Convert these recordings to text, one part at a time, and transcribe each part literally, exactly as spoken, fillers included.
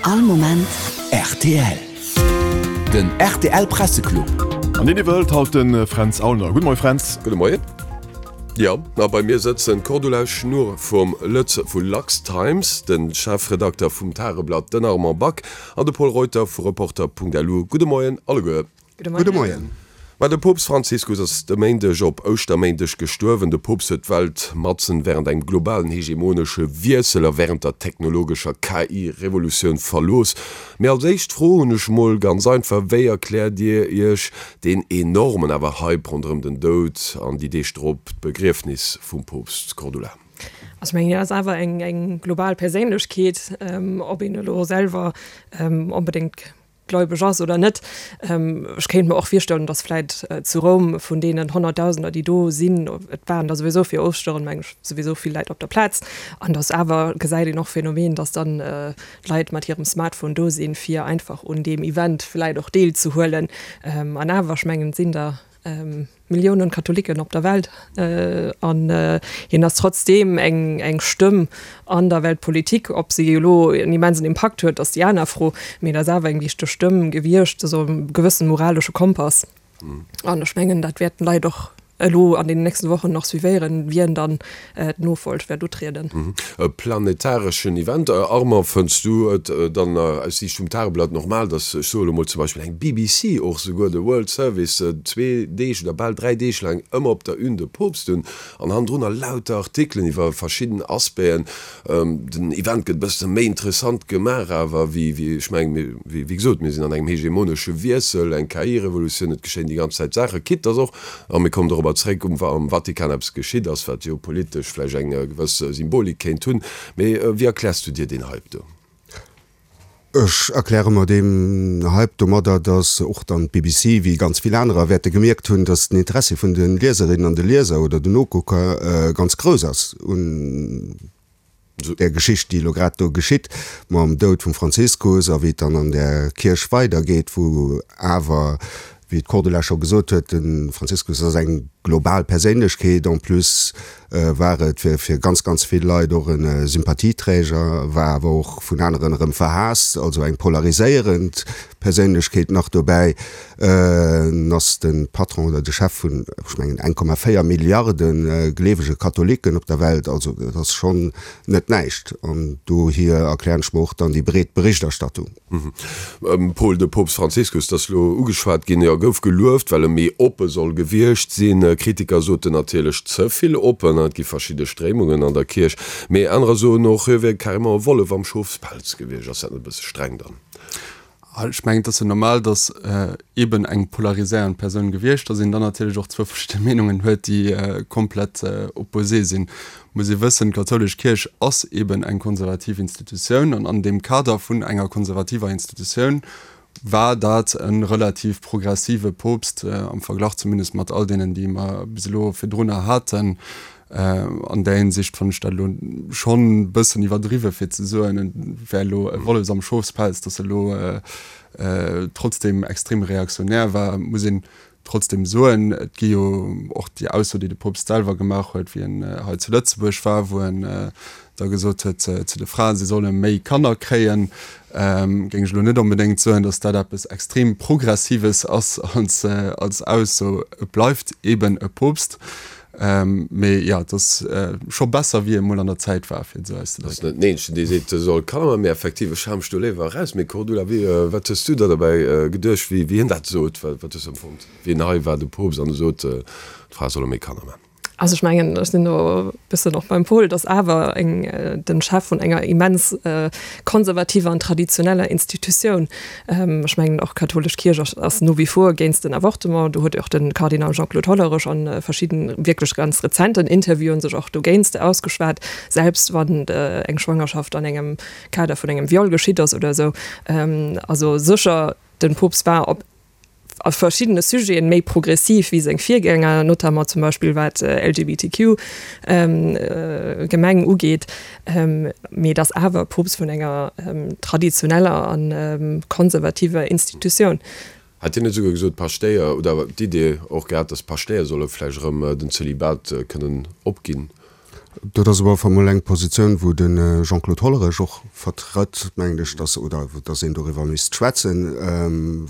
All Moment rtl. Den rtl Presseclub. An deen iwwerhëlt haut de Fränz Aulner. Gudde Moie Fränz. Gudde Moien. Jo, a bei mir sëtzen d'Cordula Schnoor vum Lëtz vu LuxTimes, de Chefredakter vum Tageblatt, den Armand Back, an de Pol Reuter vu Reporter.lu. Gudde Moien alleguer. Gudde Moien. Ma de Poopst Franziskus ass de Méindeg op Ouschterméindeg gestuerwen. De Poopst huet d'Welt matzen wärend engem globalen hegemonesche Wiessel a wärend der technologescher K I-Revolutioun verlooss. Mee als éischt Fro hunn ech mol ganz einfach, Wéi erkläert Dir Iech deen enormen awer Hype ronderëm den Doud an déi Deeg drop, d'Begriefnis vum Poopst? Cordula. Also ech mengen, hien ass awer eng global Perséinlechkeet, ob een elo selwer onbedéngt gläubeg ass oder net. Ech kéint mer och virstellen, datt vläit zu Roum vun deenen Honnertdausender, déi do sinn, et waren der souwisou fir Ouschteren, meng ech, souwisou vill Leit op der Plaz, an datt awer, gesäit een och Phänomen, datt dann d'Leit mat hirem Smartphone do sinn, fir einfach un deem Event vläit och deelzehuelen. An awer, ech mengen, et sinn der Milliounen Katholiken op der Welt an hien ass trotzdeem eng eng Stëmm an der Weltpolitik. Ob si elo en immensen Impakt huet, ass déi aner Fro, mee et ass awer eng wichteg Stëmm gewiescht, esou e gewëssen moralesche Kompass. An ech mengen, dat wäerten d'Leit och elo an den nächsten Wochen nach suivéieren, wien dann d'Nofolg wäert utrieden. E planetareschen Event. Armand, fënns du et dann aus Siicht vum Tageblatt normal, datt, ech soe lo mol zum Beispill eng B B C, och souguer de World Service, zwee Deeg oder bal dräi Deeg laang ëmmer op der Une de Poopst hunn an hannendrunner lauter Artikelen iwwer verschidden Aspecten? Den Event gëtt e bësse méi interessant gemaach awer wéi, ech mengen, wéi gesot, mir sinn an engem hegemonesche Wiessel, eng K I-Revolutioun, et geschéien déi ganz Zäit Saachen, quitte datt och, a mir kommen dorobber zréck, um Vatikan eppes geschitt ass, wat jo politesch vläicht eng gewëss Symbolik kéint hunn. Mee wéi erkläers du dir deen Hype do? Ech erkläre mer deen Hype domadder, datt och dann d'B B C, wéi ganz vill anerer, wäerte gemierkt hunn, datt den Interessi vun de Lieserinnen an de Lieser oder den Nokucker ganz grouss ass un där Geschicht, déi elo grad do geschitt mam Doud vum Franziskus a wéi et dann an där Kierch weidergeet, wou awer, wéi d'Cordula scho gesot huet, de Franziskus ass eng global Perséinlechkeet. En plus war et fir fir ganz, ganz vill Leit och e Sympathieträger, war awer och vun aneren erëm verhaasst, also eng polariséierend Perséinlechkeet nach dobäi. En ass de Patron oder de Chef vun, ech mengen, eng Komma véier Milliarde gleewege Katholiken op der Welt. Also dat ass schonn net näischt. An dohier erklären ech mer och dann déi breet Berichterstattung. Paul, de Poopst Franziskus, dat ass elo ugeschwat ginn, jo, gouf gelueft, well e méi oppe soll gewiescht sinn. Kritiker soten natierlech ze vill oppen, et gi verschidde Stréimungen an der Kierch. Mee anerer soen och, hie wier carrément e Wollef am Schofspelz gewiescht. Ass dat net e bësse streng dann? Ech mengen, et ass jo normal, datt eeben eng polariséierend Persoun gewiescht ass, een dann natierlech och zwou verschidde Meenungen huet, déi komplett opposé sinn. Muss ee wëssen, d'kathoulesch Kierch ass eeben eng konservativ Institutioun an an deem Kader vun enger konservativer Institutioun war dat e relativ progressive Poopst, am Verglach zumindest mat all deenen, déi mer bis elo virdrunner haten. An där Hinsicht fannen ech dat elo schonn e bëssen iwwerdriwwe fir ze soen, et wär elo e Wollef am Schofspelz, datt e elo trotzdem extrem reaktionär war. Muss een trotzdem soen, et gi jo och déi Ausso, déi de Poopst selwer gemaach huet, wéi en hei zu Lëtzebuerg war, wou en da gesot huet zu de Fraen, si solle méi Kanner kréien, géing ech elo net onbedéngt soen, datt dat eppes extrem Progressives ass als als Ausso. Et bleift eeben e Poopst. Mee jo, et ass scho besser, wéi e mol an der Zäit war, fir et esou auszedrécken. Ass net den eenzegen, dee seet, e soll Kanner maachen, mee effektiv, ech hale mech do léiwer eraus. Mee Cordula, wéi, wat hues du da dobäi geduecht, wéi wéi hien dat sot? Wat hues du empfonnt, wéi en hei war, de Poopst, an e sot, d'Frae solle méi Kanner maachen? Also ech mengen, ech sinn do e bëssen och beim Paul, dass awer eng, den Chef vun enger immens konservativer an traditioneller Institutioun, ech mengen och d'kathoulesch Kierch ass, ass no wie vor géinst den Avortement, do huet och de Kardinal Jean-Claude Hollerich a verschidden wierklech ganz rezenten Interviewen sech och dogéinst ausgeschwat, selbst wann eng Schwangerschaft an engem Kader vun engem Viol geschitt ass oder esou. Also sécher, den Poopst war op a verschiddene Sujeten méi progressiv wéi seng Virgänger, notamment zum Beispill wat L G B T Q Gemeng ugeet, mee et ass awer e Poopst vun enger traditioneller a konservativer Institutioun. Hat hien net esouguer gesot, d'Paschtéier, oder d'Idee och gehat, datt d'Paschtéier solle vläicht erëm den Zölibat kënnen opginn? Dat ass op alle Fall mol eng Positioun, wou de Jean-Claude Hollerech och vertrëtt, mengen ech, dass, oder dass een doriwwer misst schwätzen.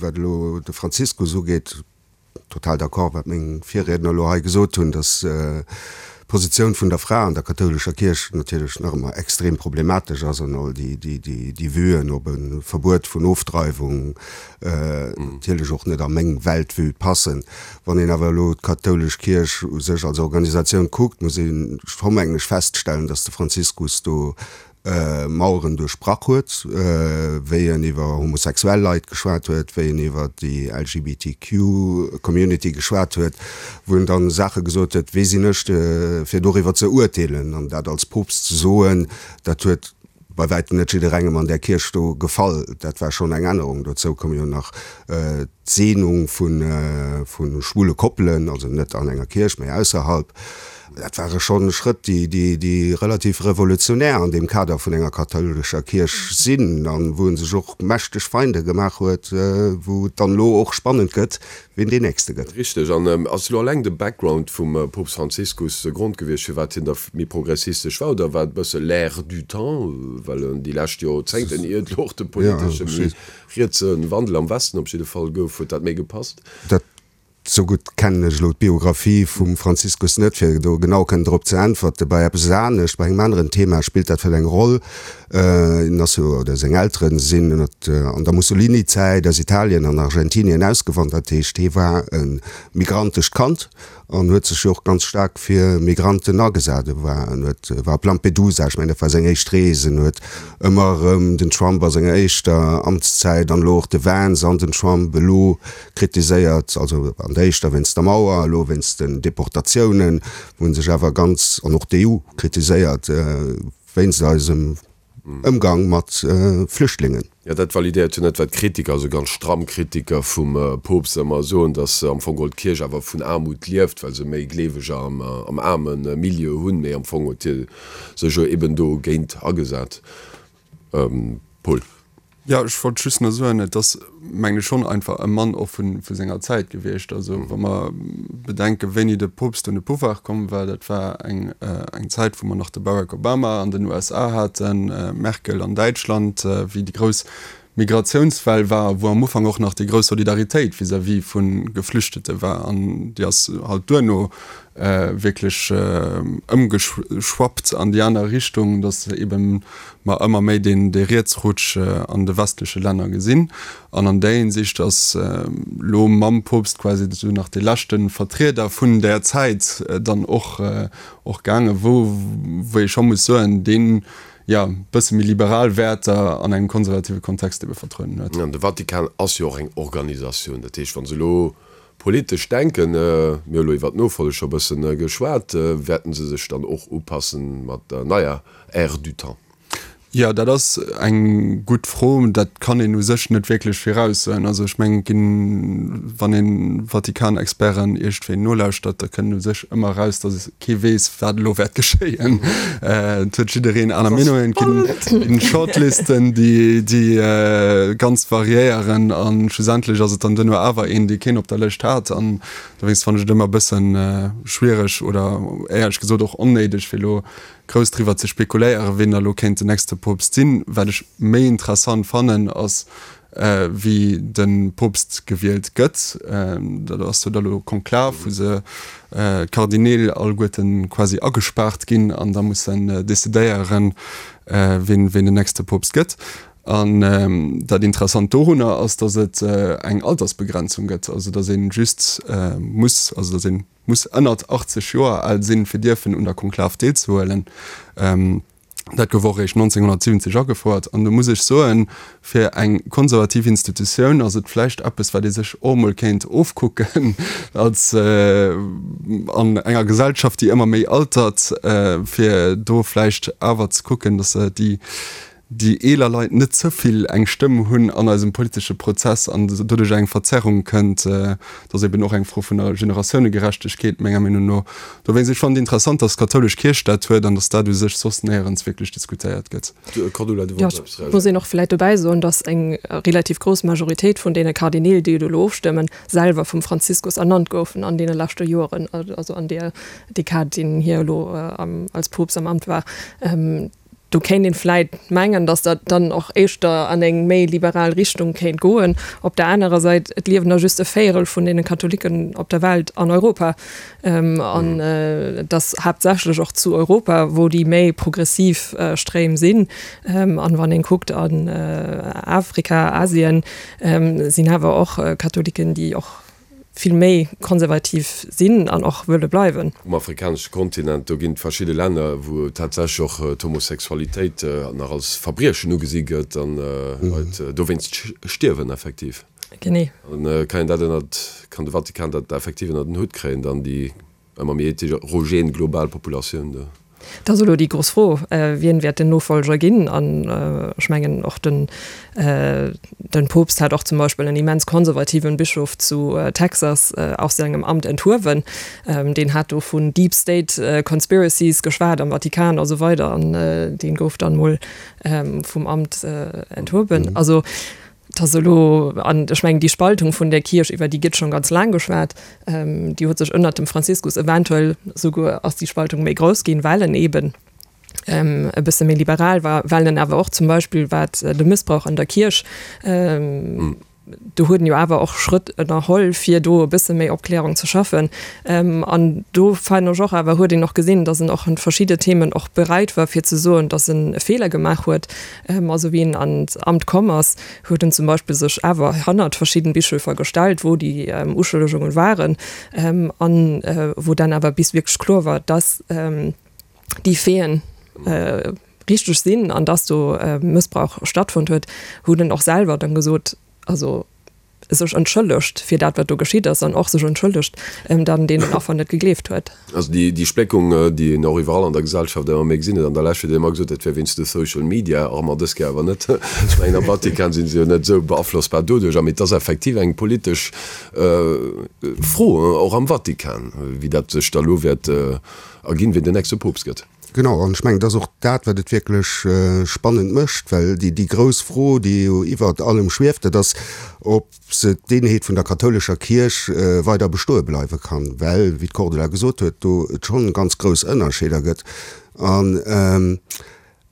Wat elo de Franziskus ugeet, total d'accord, wat meng Virriedner elo hei gesot hunn, dass d'Positioun vun der Fra an der kathoulescher Kierch natierlech nach ëmmer extrem problematesch ass an all déi Vuen op e Verbuet vun Ofdreiwung natierlech och net a meng Weltvue passen. Wann een awer elo d'kathoulesch Kierch u sech als Organisatioun kuckt, muss ee scho mengen ech feststellen, dass de Franziskus do Maueren duerchbrach huet, wéi en iwwer homosexuell Leit geschwat huet, wéi en iwwer déi LGBTQ Community geschwat huet, wou en dann Saache gesot huet, wie sinn ech, fir doriwwer ze urteelen? An dat als Poopst ze soen, dat huet bei wäitem net jidderengem an där Kierch do gefall. Dat war schonn eng Ännerung. Dozou koum jo nach d'Seenung vu schwule Koppelen, also net an enger Kierch, mä ausserhalb. Dat ware schonn Schrëtt, déi relativ revolutionär an deem Kader vun enger kathoulescher Kierch sinn an wou e sech och mächteg Feinde gemaach huet, wou et dann elo och spannend gëtt, wien deen Nächste gëtt. Richteg. An ass elo alleng de Background vum Poopst Franziskus de Grond gewiescht, firwat hien da méi progressistesch war, oder war et e bësse l'air du temps, well en déi lescht Jorzéngten, ier et elo och de politesche méi rietse Wandel am Westen op jidde Fall gouf, huet dat méi gepasst? Dat Sou gutt kennen ech elo d'Biographie vum Franziskus net, fir do genau kënnen drop ze äntwerten. Bei eppes anescht, bei engem aneren Thema spillt dat vläicht eng Roll. En ass jo, oder seng Elteren sinn ënnert, an der Mussolini-Zäit aus Italien an Argentinien ausgewandert. Dat heescht, hie war e migrantescht Kand an huet sech jo och ganz staark fir Migranten agesat. E war, en huet, war op Lampedusa, ech mengen dat war seng éischt Rees, en huet ëmmer erëm den Trump a senger éischter Amtszäit an elo och de Vance an den Trump elo kritiséiert, also an der éischter wéinst der Mauer, elo wéinst den Deportatiounen, wou en sech awer ganz, an och d'EU kritiséiert wéinst eisem Ëmgang mat Flüchtlingen. Jo, dat validéiert jo net, wat d'Kritiker, also ganz stramm Kritiker vum Poopst ëmmer soen, datt am Fong geholl d'Kierch awer vun Aarmut lieft, well se méi Gleeweger am am aarme Milieu hunn. Mee am Fong huet hie sech jo eben dogéint agesat. Paul. Jo, ech wollt just nach soen, et ass, mengen ech, schonn einfach e Mann och vu senger Zäit gewiescht. Also wa mer bedenken, wéini de Poopst un de Pouvoir komm war, dat war eng eng Zäit, wou mer nach de Barack Obama an den USA haten, Merkel an Däitschland, wéi déi grouss Migratiounswell war, wou am Ufank och nach déi grouss Solidaritéit vis-à-vis vu Geflüchtete war. An déi ass halt duerno wierklech ëmgeschwappt an déi aner Richtung, datt eebe mer ëmmer méi deen dee Rietsrutsch an de westleche Länner gesinn. An an där Hinsicht ass elo mam Poopst quasi esou nach dee leschte Vertrieder vun där Zäit dann och och gaangen, wou wou ee scho muss soen, deen, jo, e bësse méi liberal Wäerter an engem konservative Kontext ebe vertrueden huet. An de Vatikan ass jo och eng Organisatioun, dat heescht, wa se elo Politesch denken, mir hu elo iwwert d'Nofolleg scho bëssen geschwat, wäerten se sech dann och upassen mat der neier Ère du temps? Jo, dat ass eng gutt Fro. Dat kann een u sech net wierklech viraussoen. Also ech mengen, et ginn, wann ee Vatikan-Experten iergendwéi nolauschtert, da kënnt u sech ëmmer eraus, datt kee weess, wat elo wäert geschéien. Et huet jiddereen aner Meenungen. Et ginn Shortlisten, déi ganz variéieren a schlussendlech ass et dann duerno awer een, dee keen op der Lëscht hat. An dowéinst fannen ech et ëmmer e bësse schwiereg oder éierlech gesot och onnéideg, fir elo grouss driwwer ze spekuléieren, wien da elo kéint den nächste Poopst sinn. Wat ech méi interessant fannen, ass wéi de Poopst gewielt gëtt. Dat ass jo da lo Konklav, wou se d'Kardineel alleguerte quasi agespaart ginn an da mussen decidéieren, wien den nächste Poopst gëtt. An dat Interessant dorunner ass, datt et eng Altersbegrenzung gëtt, also datt ee just muss, also datt ee muss ënnert achtzeg Joer al sinn, fir dierfen un der Konklav deelzehuelen. Dat gouf och eréischt nonzénghonnertsiwwenzeg agefouert. An do muss ech soen, fir eng konservativ Institutioun ass et vläicht eppes, wat ee sech och emol kéint ofkucken als an enger Gesellschaft, déi ëmmer méi altert, fir do vläicht awer ze kucken, datt se déi déi eeler Leit net ze vill eng Stëmm hunn an eisem politesche Prozess an doduerch eng Verzerrung kënnt. Dat ass eben och eng Fro vun der Generatiounegerechtegkeet, menger Meenung no. Dowéinst, ech fannen et interessant, datt d'kathoulesch Kierch dat huet an datt dat u sech soss néierens wierklech diskutéiert gëtt. Cordula, du wollts eppes reagéieren. Muss een och vläicht dobäi soen, datt eng relativ grouss Majoritéit vun deene Kardineel, déi elo ofstëmmen, selwer vum Franziskus ernannt goufen an deene leschte Joeren, also an där Dekad, déi hie elo als Poopst am Amt war. Do kéint een vläit mengen, datt dat dann och éischter an eng méi liberal Richtung kéint goen. Op der anerer Säit, et liewen der just e Véierel vun deene Katholiken op der Welt an Europa. An et ass haaptsächlech och zu Europa, wou déi méi progressiv Stréim sinn. An wann een kuckt an Afrika, Asien, sinn awer och Katholiken, déi och vill méi konservativ sinn an och wëlle bleiwen. Um afrikanesche Kontinent, do ginn et verschidde Länner, wou tatsächlech och d'Homosexualitéit nach als Verbriechen ugesi gëtt an Leit dowéinst stierwen effektiv. Genee. An kann een dat ënnert, kann de Vatikan dat effektiv ënnert den Hutt kréien, dann déi ëmmer méi heterogen global Populatioun do? Dat ass elo déi grouss Fro, Wien wäert den Nofolger ginn? An ech mengen och den den Poopst hat och zum Beispill en immens konservativen Bischof zu Texas aus sengem Amt enthuewen. Deen hat do vun Deep State Conspiracies geschwat am Vatikan a sou weider an deen gouf dann mol vum Amt enthuewen. Also Et ass elo, an ech mengen, déi Spaltung vun der Kierch, iwwer déi gëtt schonn ganz laang geschwat, déi huet sech ënnert dem Franziskus eventuell souguer ass déi Spaltung méi grouss ginn, well en eeben e bësse méi liberal war, well en awer och zum Beispill wat de Mëssbrauch an der Kierch, do huet en jo awer och Schrëtt ënnerholl, fir do e bësse méi Opklärung ze schaffen. An do fannen ech och awer, huet een och gesinn, datt en och an verschidde Themen och bereit war, fir ze soen, datt en e Feeler gemaach huet. Also wéi en an d'Amt komm ass, huet en zum Beispill sech awer hannert verschidden Bischöfer gestellt, wou déi Uschëllegungen waren, an wou dann awer bis wierklech kloer war, datt déi Faiten richteg sinn an datt do Mëssbrauch stattfonnt huet, huet en och selwer dann gesot, also sech entschëllegt fir dat wat do geschitt ass an och sech entschëllegt, datt en deenen Affer net gegleeft huet. Also déi déi Spléckung, déi een och iwwerall an der Gesellschaft ëmmer méi gesinn huet an der Lescht, huet een ëmmer gesot, dat wär wéinst de Social Media, och ëmmer dës Kéier awer net. Ech mengen am Vatikan si se jo net esou beaflossbar doduerch, mee et ass effektiv eng politesch Fro, och am Vatikan, wéi dat sech da lo wäert erginn, wien den nächste Poopst gëtt. Genau, an ech mengen, et ass och dat, wat et wierklech spannend mécht, well déi, déi grouss Fro, déi jo iwwert allem schwieft, dat ass, ob se d'Eenheet vun der kathoulescher Kierch weider bestoe bleiwe kann, well, wéi d'Cordula gesot huet, do et schonn ganz grouss Ënnerscheeder gëtt. An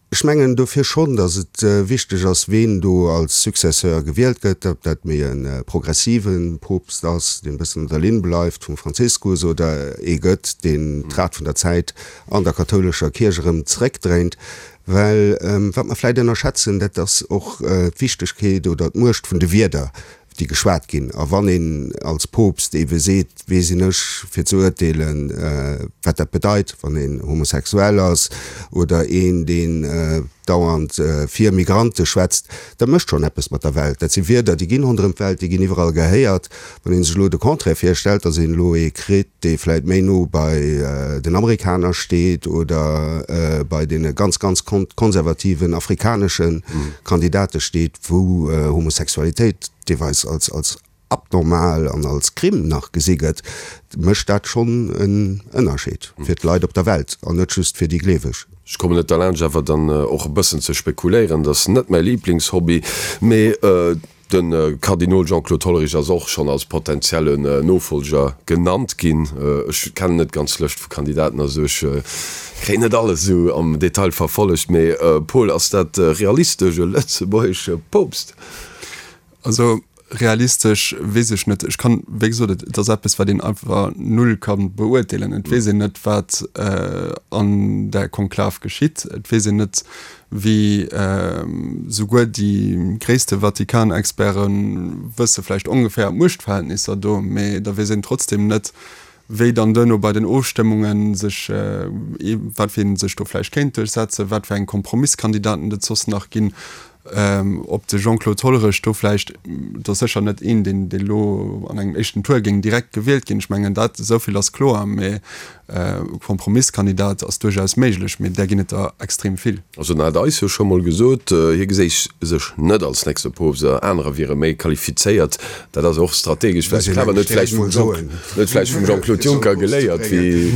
ech mengen dofir schonn, datt et wichteg ass, ween do als Successeur gewielt gëtt, ob dat méi e progressive Poopst ass, deen e bëssen an der Linn bleift vum Franziskus, oder ee gëtt, deen d'Rad vun der Zäit an der kathoulescher Kierch erëm zeréckdréint. Well wat mer vläicht ënnerschätzen, dat ass och d'Wichtegkeet oder d'Muecht vun de Wierder, déi geschwat ginn. A wann een als Poopst eebe seet, Wee sinn ech, fir ze urteelen, wat dat bedeit, wann een homosexuell ass oder een, deen dauernd fir Migrante schwätzt, dat mécht schonn eppes mat der Welt. Dat si Wierder, déi ginn ronderëm d'Welt, déi ginn iwwerall gehéiert. Wann ee sech elo de Contraire virstellt, datt een elo ee kritt, dee vläicht méi no bei den Amerikaner steet oder bei deene ganz, ganz konservativen afrikanesche Kandidate steet, wou Homosexualitéit deelweis als als abnormal an als Crime nach gesi gëtt, mécht dat schonn en Ënnerscheed fir d'Leit op der Welt an net just fir déi Gleeweg. Ech kommen net derlaanscht awer dann och e bëssen ze spekuléieren, dat ass net mäi Liblingshobby, mee de Kardinol Jean-Claude Hollerich ass och schonn als potentiellen Nofolger genannt ginn. Ech kennen net d'ganz Lëscht vu Kandidaten, also ech kréien net alles esou am Detail verfollegt, mee Paul, ass dat realistesch, e lëtzebuergesche Poopst? Also realistesch weess ech net. Ech kann, wéi gesot, et ass eppes, wat een einfach null ka beurteelen. Et weess een net, wat an där Konklav geschitt. Et weess een net, wéi souguer déi gréisste Vatikan-Experte wësse vläicht ongeféier d'Muechtverhältnisser do, mee da weess een trotzdem net, wéi dann duerno bei den Ofstëmmunge sech, wat fir een sech do vläicht kéint duerchsetzen, wat fir eng Kompromisskandidaten et soss nach ginn. Ob de Jean-Claude Hollerich do vläicht, et ass sécher net een, deen elo an engem éischten Tour géing direkt gewielt ginn, ech mengen dat, esou vill ass kloer, mä e Kompromisskandidat ass duerchaus méiglech, mee där ginn et der extrem vill. Also en hat eis jo scho mol gesot, hie geséich sech net als nächste Poopst, anerer wiere méi qualifizéiert. Dat ass och strategesch vläicht clever. En huet vläicht vum Jean, en huet vläicht vum Jean-Claude Juncker geléiert, wéi,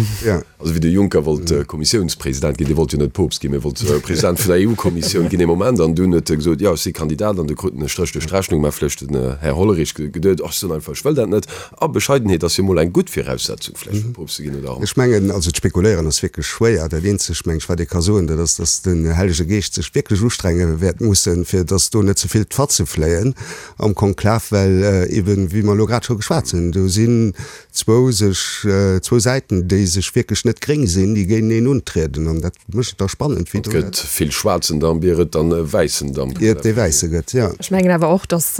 also wéi de Juncker wollt Kommissiounspresident ginn, dee wollt jo net Poopst ginn, mee wollt President vun der EU-Kommissioun ginn ee Moment, an dunn huet e gesot, jo ech si Kandidat, an du krut en e Stréch duerch d'Rechnung, mä vläicht den Här Hollerich geduet, ach ech soen einfach, ech wëll dat net. A Bescheidenheet ass jo mol eng gutt Viraussetzung vläicht fir Poopst ze ginn, oder? Ech mengen, also d'Spekuléieren ass wierklech schwéier. Dat eenzegt, meng ech, wat ee ka soen, dat ass, datt den Hellege Geescht sech wierklech ustrenge wäert mussen, fir datt do net ze vill d'Fatze fléien am Konklav, well eben, wéi mer elo grad scho geschwat hunn, do sinn zwou sech, zwou Säiten, déi sech wierklech net gréng sinn, déi géinteneen untrieden. An dat mécht et da spannend, wéi do. Et gëtt vill schwaarzen Damp, ier et dann e wäissen Damp gëtt. Ier et dee wäisse gëtt, jo. Ech mengen awer och, datt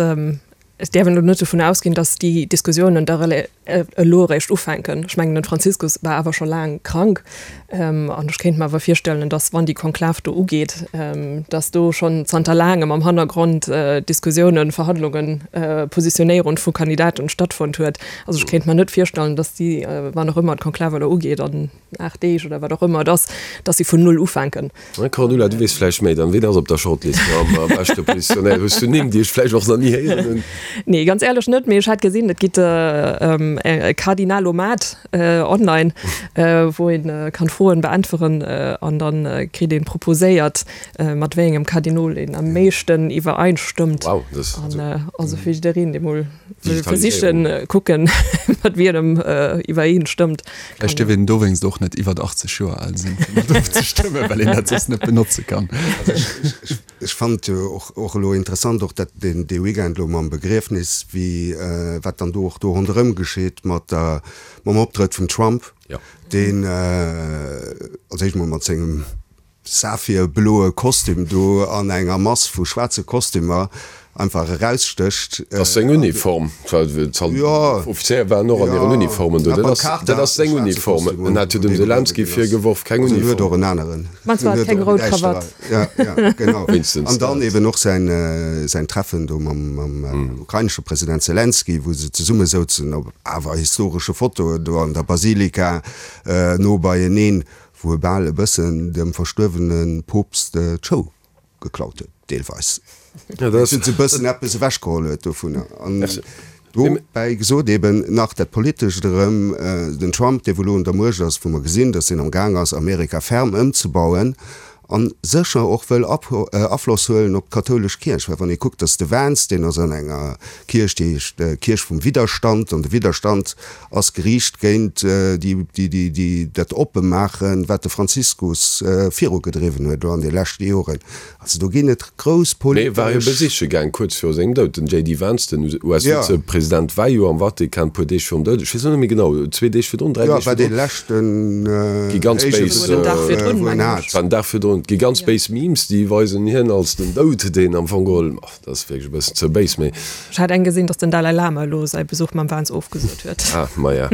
Et däerf een elo net dovun ausginn, datt déi Diskussiounen da elo eréischt ufänken. Ech mengen, den Franziskus war awer scho laang krank. An ech kéint mer awer virstellen, datt, wann déi Konklav do ugeet, datt do schonn zanter laangem am Hannergrond Diskussiounen, Verhandlungen, Positionéierung vu Kandidaten stattfonnt huet. Also ech kéint mer net virstellen, datt déi, wann och ëmmer d'Konklav elo ugeet, an aacht Deeg oder wat och ëmmer et ass, datt si vun null ufänken. Cordula, du weess vläicht méi dann. Ween ass op der Shortlist am beschte positionéiert? Hues du Nimm, déi ech vläicht och nach ni héieren hunn? Nee, ganz éierlech net, mee ech hat gesinn, et gitt e Kardinalomat online, wou een kann Froen beäntweren an dann kritt een proposéiert, mat wéi engem Kardinol een am meeschten iwwereinstëmmt. Wow, dat ass An also fir jiddereen, dee mol wëll versichen, kucken, mat wien em iwwereenstëmmt. Vläicht dierf een dowéinst och net iwwert achtzeg Joer al sinn, fir mat ofzestëmmen, well een dat soss net benotze kann. Also ech, ech fannen et jo och, och elo interessant, och dat deen, dee Weekend elo mam Begriefnis, wéi, wat dann do och do ronderëm geschitt mat der, mam Optrëtt vum Trump, deen als éischt mol mat sengem saphirbloe Kostüm do an enger Mass vu schwaarze Kostümer einfach erausstécht. Dat ass seng Uniform. D'Offizéier waren och an hiren Uniformen do. Dat ass seng Uniform. En hat jo dem Selenskyj virgeworf, keng Uniform. En huet och en aneren. Meinst du, hat keng rout Krawatt? Ja, ja, genau. Wéinstens. An dann eben och säin Treffen do mam ukrainesche President Selenskyj, wou se zesumme souzen op awer historesche Fotoen do an der Basilika no beieneen. Wou e bal e bëssen dem verstuerwene Poopst d'Show geklaut huet, deelweis. E bëssen eppes ewechgeholl huet dovunner. An dobäi gesot eben nach dat Politescht erëm, den Trump, dee wou elo un der Muecht ass, wou mer gesinn, datt deen am Gaang ass, Amerika ferm ëmzebauen, A sécher och wëll Afloss huelen op d'kathoulesch Kierch. Well wann ee kuckt, datt de Vance, deen ass an enger Kierch, déi heescht Kierch vum Widderstand, an de Widderstand ass geriicht géint déi, dat Oppemaachen, wat de Franziskus virugedriwwen huet elo an de leschte Joren. Also do ginn et grouss politesch. Mee war hie besiche gaang kuerz viru sengem Doud. Den J D Vance, den U S-Vizepresident, war jo am Vatikan e puer Deeg virum Doud. Ech weess elo net méi genau, zwee Deeg virdrun, dräi Deeg virdrun. Jo, war dee leschten Gi ganz béis, wou en hat. War den Dag virdrun. Et gi ganz béis Memes, déi weisen hien als den Doud, deen am Fong geholl, ach, dat ass wierklech e bëssen ze béis, mee. Ech hat eng gesinn, datt den Dalai Lama elo säi Besuch mam Vance ofgesot huet. Ah, maja.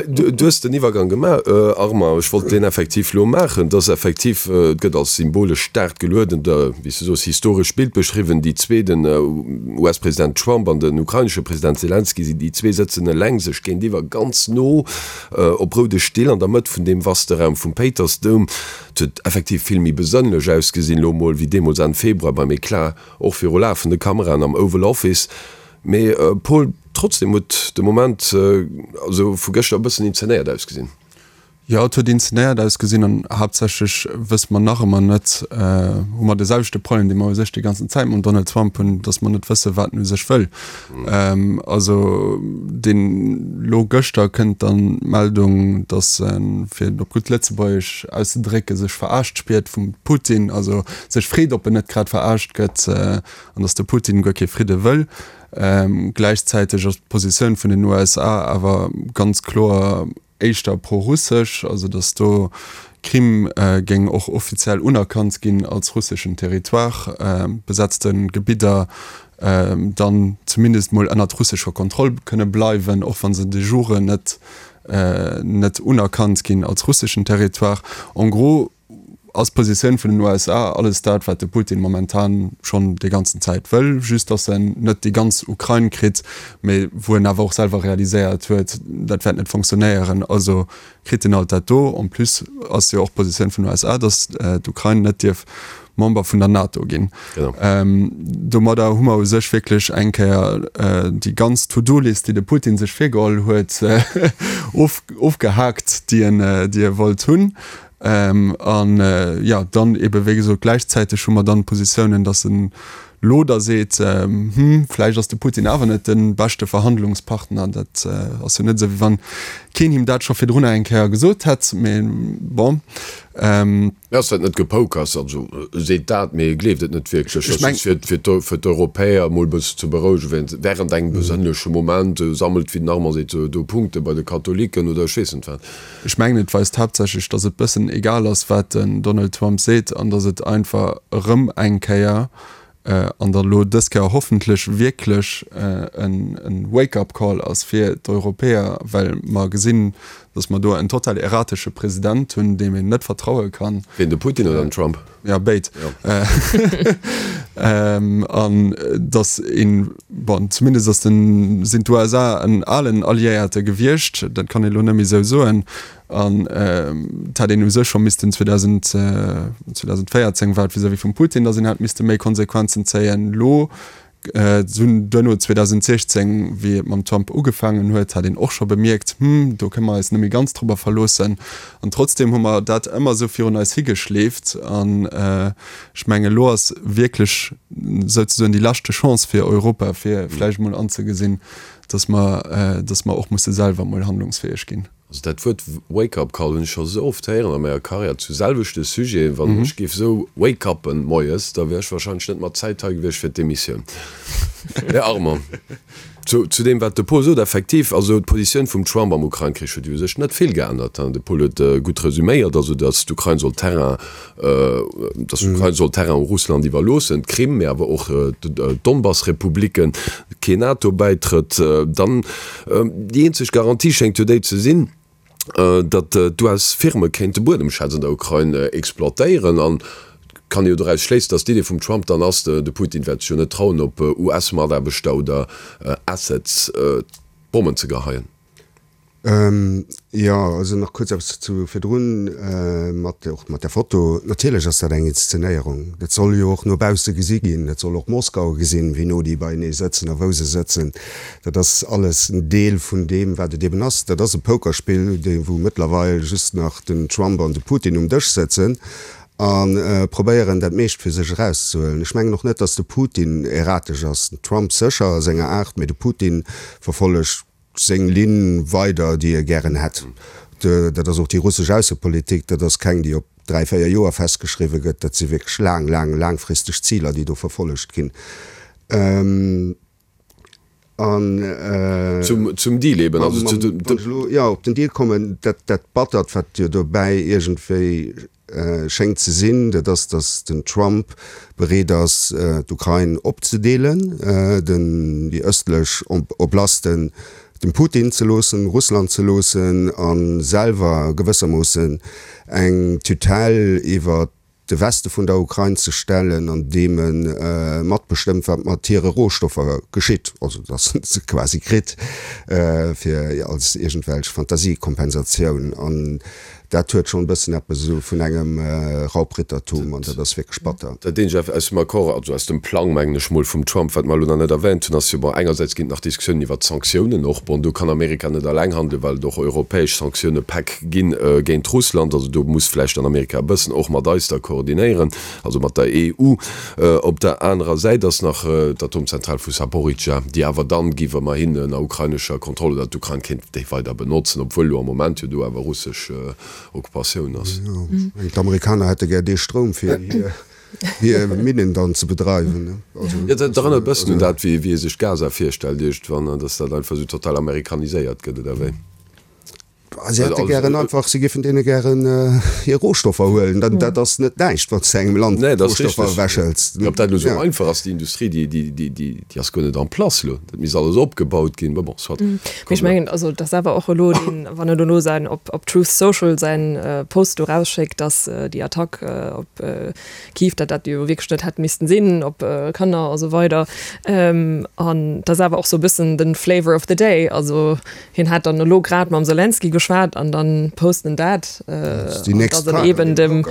Du, du hues den Iwwergang gemaach, Armand. Ech wollt deen effektiv elo maachen. Et ass effektiv, et gëtt als symbolesch staark gelueden, da, wéi s du soos, historesch Bild beschriwwen, déi zwee, den U S-President Trump an den ukrainesche President Selenskyj, si déi zwee sëtzen eleng sech géintiwwer, ganz no op roude Still an der Mëtt vun deem vaste Raum vum Péitersdoum. Et huet effektiv vill méi besënnlech ausgesinn elo mol wéi deemools Enn Februar beim Eclat, och viru lafende Kameraen am Oval Office. Mee Paul, trotzdem huet de Moment also vu gëschter e bëssen inzenéiert ausgesinn. Jo, et huet inzenéiert ausgesinn an haaptsächlech wësse mer nach ëmmer net, hu mer de selwechte Problem, dee mer u sech déi ganzen Zäit mam Donald Trump hunn, datt mer net wësse wat en u sech wëll. Also deen, elo gëschter kënnt dann d'Meldung, datt en, fir et op gutt Lëtzebuergesch auszedrécken, sech verarscht spiert vum Putin, also sech freet, ob en net grad verarscht gëtt an datt de Putin guer kee Fridde wëll. Gläichzäiteg ass d'Positioun vun den U S A awer ganz kloer éischter pro-russesch, also datt do d'Krim géing och offiziell unerkannt ginn als russeschen Territoire, besetzte Gebidder dann zumindest mol ënnert russescher Kontroll kënne bleiwen, och wa se de jure net net unerkannt ginn als russeschen Territoire. En gros ass d'Positioun vun den U S A alles dat, wat de Putin momentan schonn déi ganzen Zäit wëll, just datt en net déi ganz Ukrain kritt, mee wou en awer och selwer realiséiert huet, dat wäert net fonctionnéieren, also kritt en alt dat do. En plus ass jo och d'Positioun vun den U S A, datt d'Ukrain net dierf Member vun der NATO ginn. Domadder hu mer u sech wierklech eng Kéier déi ganz To-do-List, déi de Putin sech virgeholl huet, ofgehaakt, déi en, déi e wollt hunn. An, jo, dann ebe wéi gesot, gläichzäiteg hu mer dann d'Positiounen, datt en elo da seet, Hm, vläicht ass de Putin awer net de beschte Verhandlungspartner. Dat ass jo net esou, wéi wann keen him dat scho virdrunner eng Kéier gesot hätt, mee bon. Mee ass dat net Gepokers? Also e seet dat, mee e gleeft et net wierklech. Ech meng, fir fir d'Europäer emol e bësse ze berouegen, während engem besënnleche Moment, sammelt, wéi den Armand seet, do Punkte bei de Katholiken oder ech weess net wat. Ech mengen, et weist haaptsächlech, datt et bëssen egal ass, wat den Donald Trump seet an datt et einfach erëm eng Kéier, an da lo dës Kéier hoffentlech wierklech, e Wake-up-Call ass fir d'Europäer, well mer gesinn, datt mer do en total erratesche President hunn, deem een net vertraue kann. Wien, de Putin oder den Trump? Jo, béid. An datt een, bon, zumindest ass den, sinn d'U S A en alen Alliéierte gewiescht, dat kann ee lo net méi esou soen, an et hätt een u sech scho missten zweedausendvéierzéng war et vis-à-vis vum Putin, datt een hätt misste méi Konsequenzen zéien. Elo Dunn duerno zweedausendsiechzéng, wéi et mam Trump ugefaangen huet, hat een och scho bemierkt, Hm, do kënne mer eis net méi ganz drobber verloossen. An trotzdeem hu mer dat ëmmer esou virun eis higeschleeft. An ech mengen, elo ass wierklech souzesoen déi leschte Chance fir Europa, fir vläicht emol anzegesinn, dass mer, dass mer och musse selwer emol handlungsfäeg ginn. Also dat Wuert Wake-up Call hunn ech scho sou oft héieren a menger Karriär zu selwechte Sujeten. Wann ech géif sou wake-uppen moies, da wär ech wahrscheinlech net mat Zäit hei gewiescht fir d'Emissioun. Här Armand, zu zu deem wat de Paul sot, effektiv, also d'Positioun vum Trump am Ukrain-Krich huet jo u sech net vill geännert. De Paul huet gutt resüméiert, also datt d'Ukrain soll Terrain, datt d'Ukrain soll Terrain u Russland iwwerloossen, d'Krim, mee awer och d'Donbass-Republiken, keen NATO-Bäitrëtt. Dann déi eenzeg Garantie schéngt jo déi ze sinn, datt d'U S-Firme kéinte Buedemschätz an der Ukrain exploitéieren. An kann ee jo doraus schléissen, datt d'Idee vum Trump dann ass, de Putin wäert sech jo net trauen, op U S-Mataarbechter oder Assets Bommen ze geheien. Jo, also nach kuerz eppes zu virdrun, mat och mat der Foto. Natierlech ass dat eng Inszenéierung. Dat soll jo och no bausse gesi ginn. Dat soll och Moskau gesinn, wéi no déi beienee sëtzen a wou se sëtzen. Dat ass alles en Deel vun deem, wat et eben ass. Dat ass e Pokerspill, dee wou mëttlerweil just nach den Trump an de Putin um Dësch sëtzen a probéieren, dat meescht fir sech erauszehuelen. Ech mengen och net, datt de Putin erratesch ass. Den Trump sécher a senger Aart, mee de Putin verfollegt seng Linn weider, déi e gären hätt. Dat ass och déi russesch Aussepolitik, dat ass keng, déi op dräi, véier Joer festgeschriwwe gëtt, dat si wierklech laang, laang, laangfristeg Ziler, déi do verfollegt ginn. An zum Deal eben, also zu de. Wann ech elo, jo, op den Deal kommen, dat, dat Battert, wat jo dobäi iergendwéi schéngt ze sinn, dat ass, datt den Trump bereet ass, d'Ukrain opzedeelen, den, déi ëstlech Oblasten dem Putin ze loossen, Russland ze loossen, a selwer gewëssermoossen eng Tutelle iwwer de Weste vun der Ukrain ze stellen, an deem e matbestëmmt, wat mat hire Rohstoffer geschitt, also datt en se quasi kritt fir als iergendwelch Fantasiekompensatioun. An dat huet schonn e bëssen eppes esou vun engem Raubrittertum, an dat ass wierklech batter. Dat eenzegt aus dem Accord, also aus dem Plang, mengen ech mol, vum Trump, wat mer elo nach net erwähnt hunn, ass jo, bon, engersäits ginn et nach Diskussiounen iwwert d'Sanktiounen och. Bon, do kann Amerika net alleng handelen, well et och europäesch Sanktioune-Päck ginn géint Russland. Also do muss vläicht dann Amerika e bëssen och mat eis da koordinéieren, also mat der E U. Op der anerer Säit ass nach d'Atomzentral vu Saporizhzhia, déi awer dann géif ëmmerhin ënner ukrainescher Kontroll, oder d'Ukrain kéint déi weider benotzen, obwuel elo am Moment jo do awer russesch Okkupatioun ass. Jo, ech mengen d'Amerikaner hätte gär dee Stroum fir hir Minnen dann ze bedreiwen. Jo, dat erënnert e bëssen un dat, wéi ee sech Gaza virstellt iergendwann, dass dat einfach esou total amerikaniséiert gëtt, oder wéi? Si hätte gären einfach, si géifen deene gären hir Rohstoffer huelen. Dat, dat ass net näischt, wann s de engem Land Nee, dat ass Rohstoffer richteg. ewechhëls. Mee ob dat elo esou Ja. einfach ass, déi Industrie, déi, déi, déi, déi, déi ass guer net en place elo. Dat misst alles opgebaut ginn. Mä bon, soit. Mee ech mengen, also dat ass awer och elo deen, wann en elo säin, op, op Truth Social säin Post do erausschéckt, dass déi Attack op Kiew, dat dat jo wierklech net hätt missten sinn, op Kanner a sou weider. An dat ass awer och sou e bëssen den Flavor of the day. Also hien hat dann elo grad mam Selenskyj geschwat an dann post en dat, an dass en eben dem,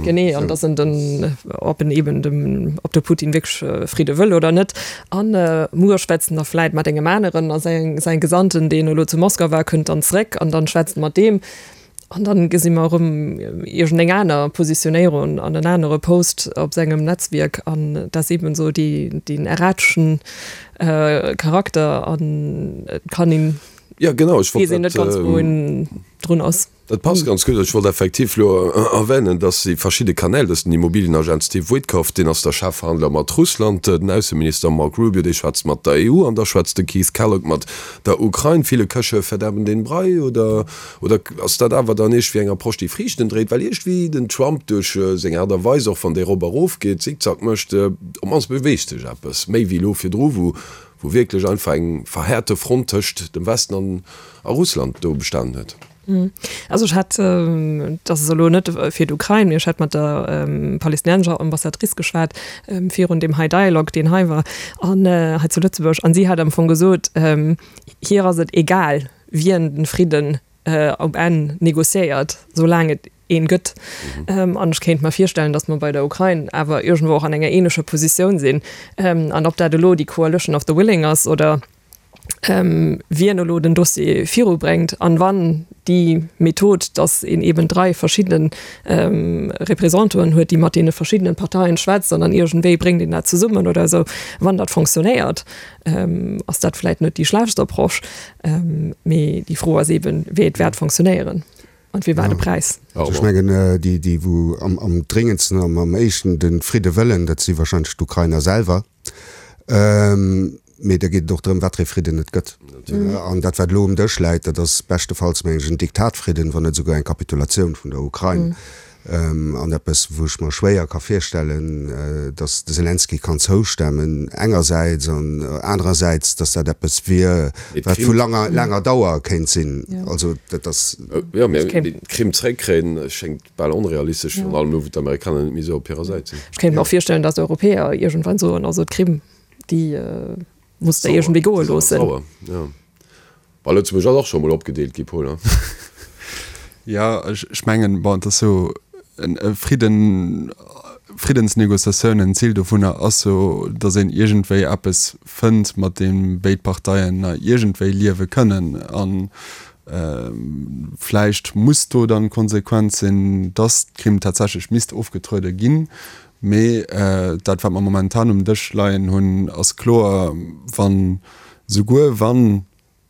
genee, an dass en den, ob en eben dem, ob de Putin wierklech Fridde wëll oder net. An muer schwätzt en da vläit mat engem aneren a säin, säin Gesandten, deen elo zu Moskau war, kënnt dann zréck an dann schwätzt en mat deem. An dann gesi mer erëm iergendeng aner Positionéierung an en anere Post op sengem Netzwierk. An dat ass eben esou déi, deen errateschen Charakter an et kann een, Ja, genau, ech wollt weess een dat, net ganz wou en drun ass. Dat passt ganz gutt. Ech wollt effektiv elo erwänen, dass déi verschidde Kanäl, dass den Immobilienagent Steve Witkoff, deen ass der Chefverhandler mat Russland, den Ausseminister Mark Rubio, dee schwätzt mat der E U an da schwätzt de Keith Kellogg mat der Ukrain. Viele Köche verderben den Brei, oder, oder ass dat awer dann iergendwéi eng Approche, déi Friichten dréit? Well iergendwéi den Trump duerch seng Aart a Weis, och wann dee rop erof geet, Zickzack mécht, op d'mannst beweegt sech eppes méi wéi elo virdru, wou wou wierklech einfach eng verhäerte Front tëscht dem Westen an a Russland do bestanen huet. Also ech hat, dat ass elo net fir d'Ukrain, mee ech hat mat der palestinensescher Ambassadrice geschwat virun deem hei Dialogue, deen hei war an hei zu Lëtzebuerg, an si hat am Fong gesot, hir ass et egal, wien den Fridden um Enn negociéiert, soulaang et een gëtt. An ech kéint mer virstellen, datt mer bei der Ukrain awer iergendwou och an enger ähnlecher Positioun sinn. An ob dat elo déi Coalition of the Willing ass oder wien elo den Dossier virubréngt an wann déi Method, datt een eben dräi verschidde Représentanten huet, déi mat deene verschiddenen Parteien schwätzt an dann iergendwéi bréngt een dat zesummen oder esou, wann dat fonctionnéiert, ass dat vläicht net déi schlechtst Approche. Mee déi Fro ass eben, wéi et wäert fonctionnéieren an fir wat e Präis. Also ech mengen, déi, déi wou am, am dréngendsten an am éischten de Fridde wëllen, dat si wahrscheinlech d'Ukrainer selwer. Mee da geet et och drëm, wat fir ee Fridden et gëtt. An dat, wat elo um Dësch läit, dat ass beschtefalls, mengen ech, en Diktatfridden, wann net esouguer eng Kapitulatioun vun der Ukrain. An eppes, wou ech mer schwéier ka virstellen, datt de Selenskyj kann zoustemmen engersäits an anerersäits, datt dat eppes wier, wat vu langer, laanger Dauer kéint sinn. Also dat ass. Jo, mee d'Krim zréckkréien schéngt bal onrealistesch, virun allem elo, wou d'Amerikaner net méi esou op hirer Säit sinn. Ech kéint mer och virstellen, datt d'Europäer iergendwann soen, also d'Krim, déi musst Der iergendwéi goe loossen. Sauer, jo. Bah, Lëtzebuerg ass och scho mol opgedeelt gi, Paul, hein? Jo, ech mengen, bon, et ass jo e Fridden, Friddensnegociatiounen, d'Zil dovunner ass jo, datt een iergendwéi eppes fënnt, mat deem béid Parteien nach iergendwéi liewe kënnen. An vläicht muss do dann d'Konsequenz sinn, datt d'Krim tatsächlech misst ofgetruede ginn. Mee dat, wat mer momentan um Dësch leien hunn, ass kloer, wann, souguer wann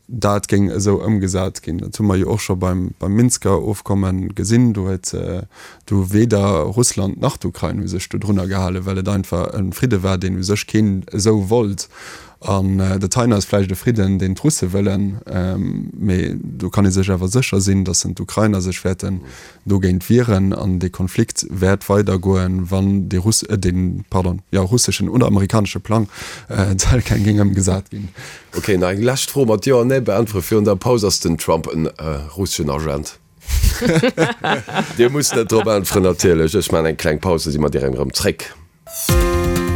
dat géing esou ëmgesat ginn, dat hu mer jo och scho beim, beim Minsker Ofkomme gesinn, do huet do weder Russland nach d'Ukrain hu sech dodrunner gehalen, well et einfach e Fridde war, deen u sech keen esou wollt. An dat heien ass vläicht e Fridden, deen d'Russe wëllen, mee do kann ee sech awer sécher sinn, datt en d'Ukrainer sech wäerten dogéint wieren an dee Konflikt wäert weidergoen, wann dee Russ, dee, pardon, jo, russeschen oder amerikanesche Plang tel quel géing ëmgesat ginn. Ok, nach eng lescht Fro mat Jo an Nee beäntwere virun der Paus, Ass den Trump en russeschen Agent? Dir musst net drop äntweren natierlech. Ech maachen eng kleng Paus, da si mer direkt erëm zréck.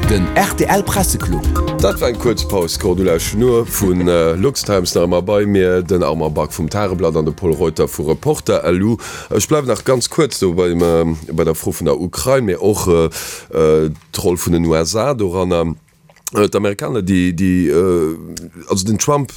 Den rtl Presseclub. Dat war eng kuerz Paus. D'Cordula Schnoor vu LuxTimes nach ëmmer bei mir, den Armand Back vum Tageblatt an de Pol Reuter vu Reporter. Lu. Ech bleiwen nach ganz kuerz do beim, bei der Fro vun der Ukrain, mee och d'Roll vun den U S A doranner. D'Amerikaner, déi, déi, also den Trump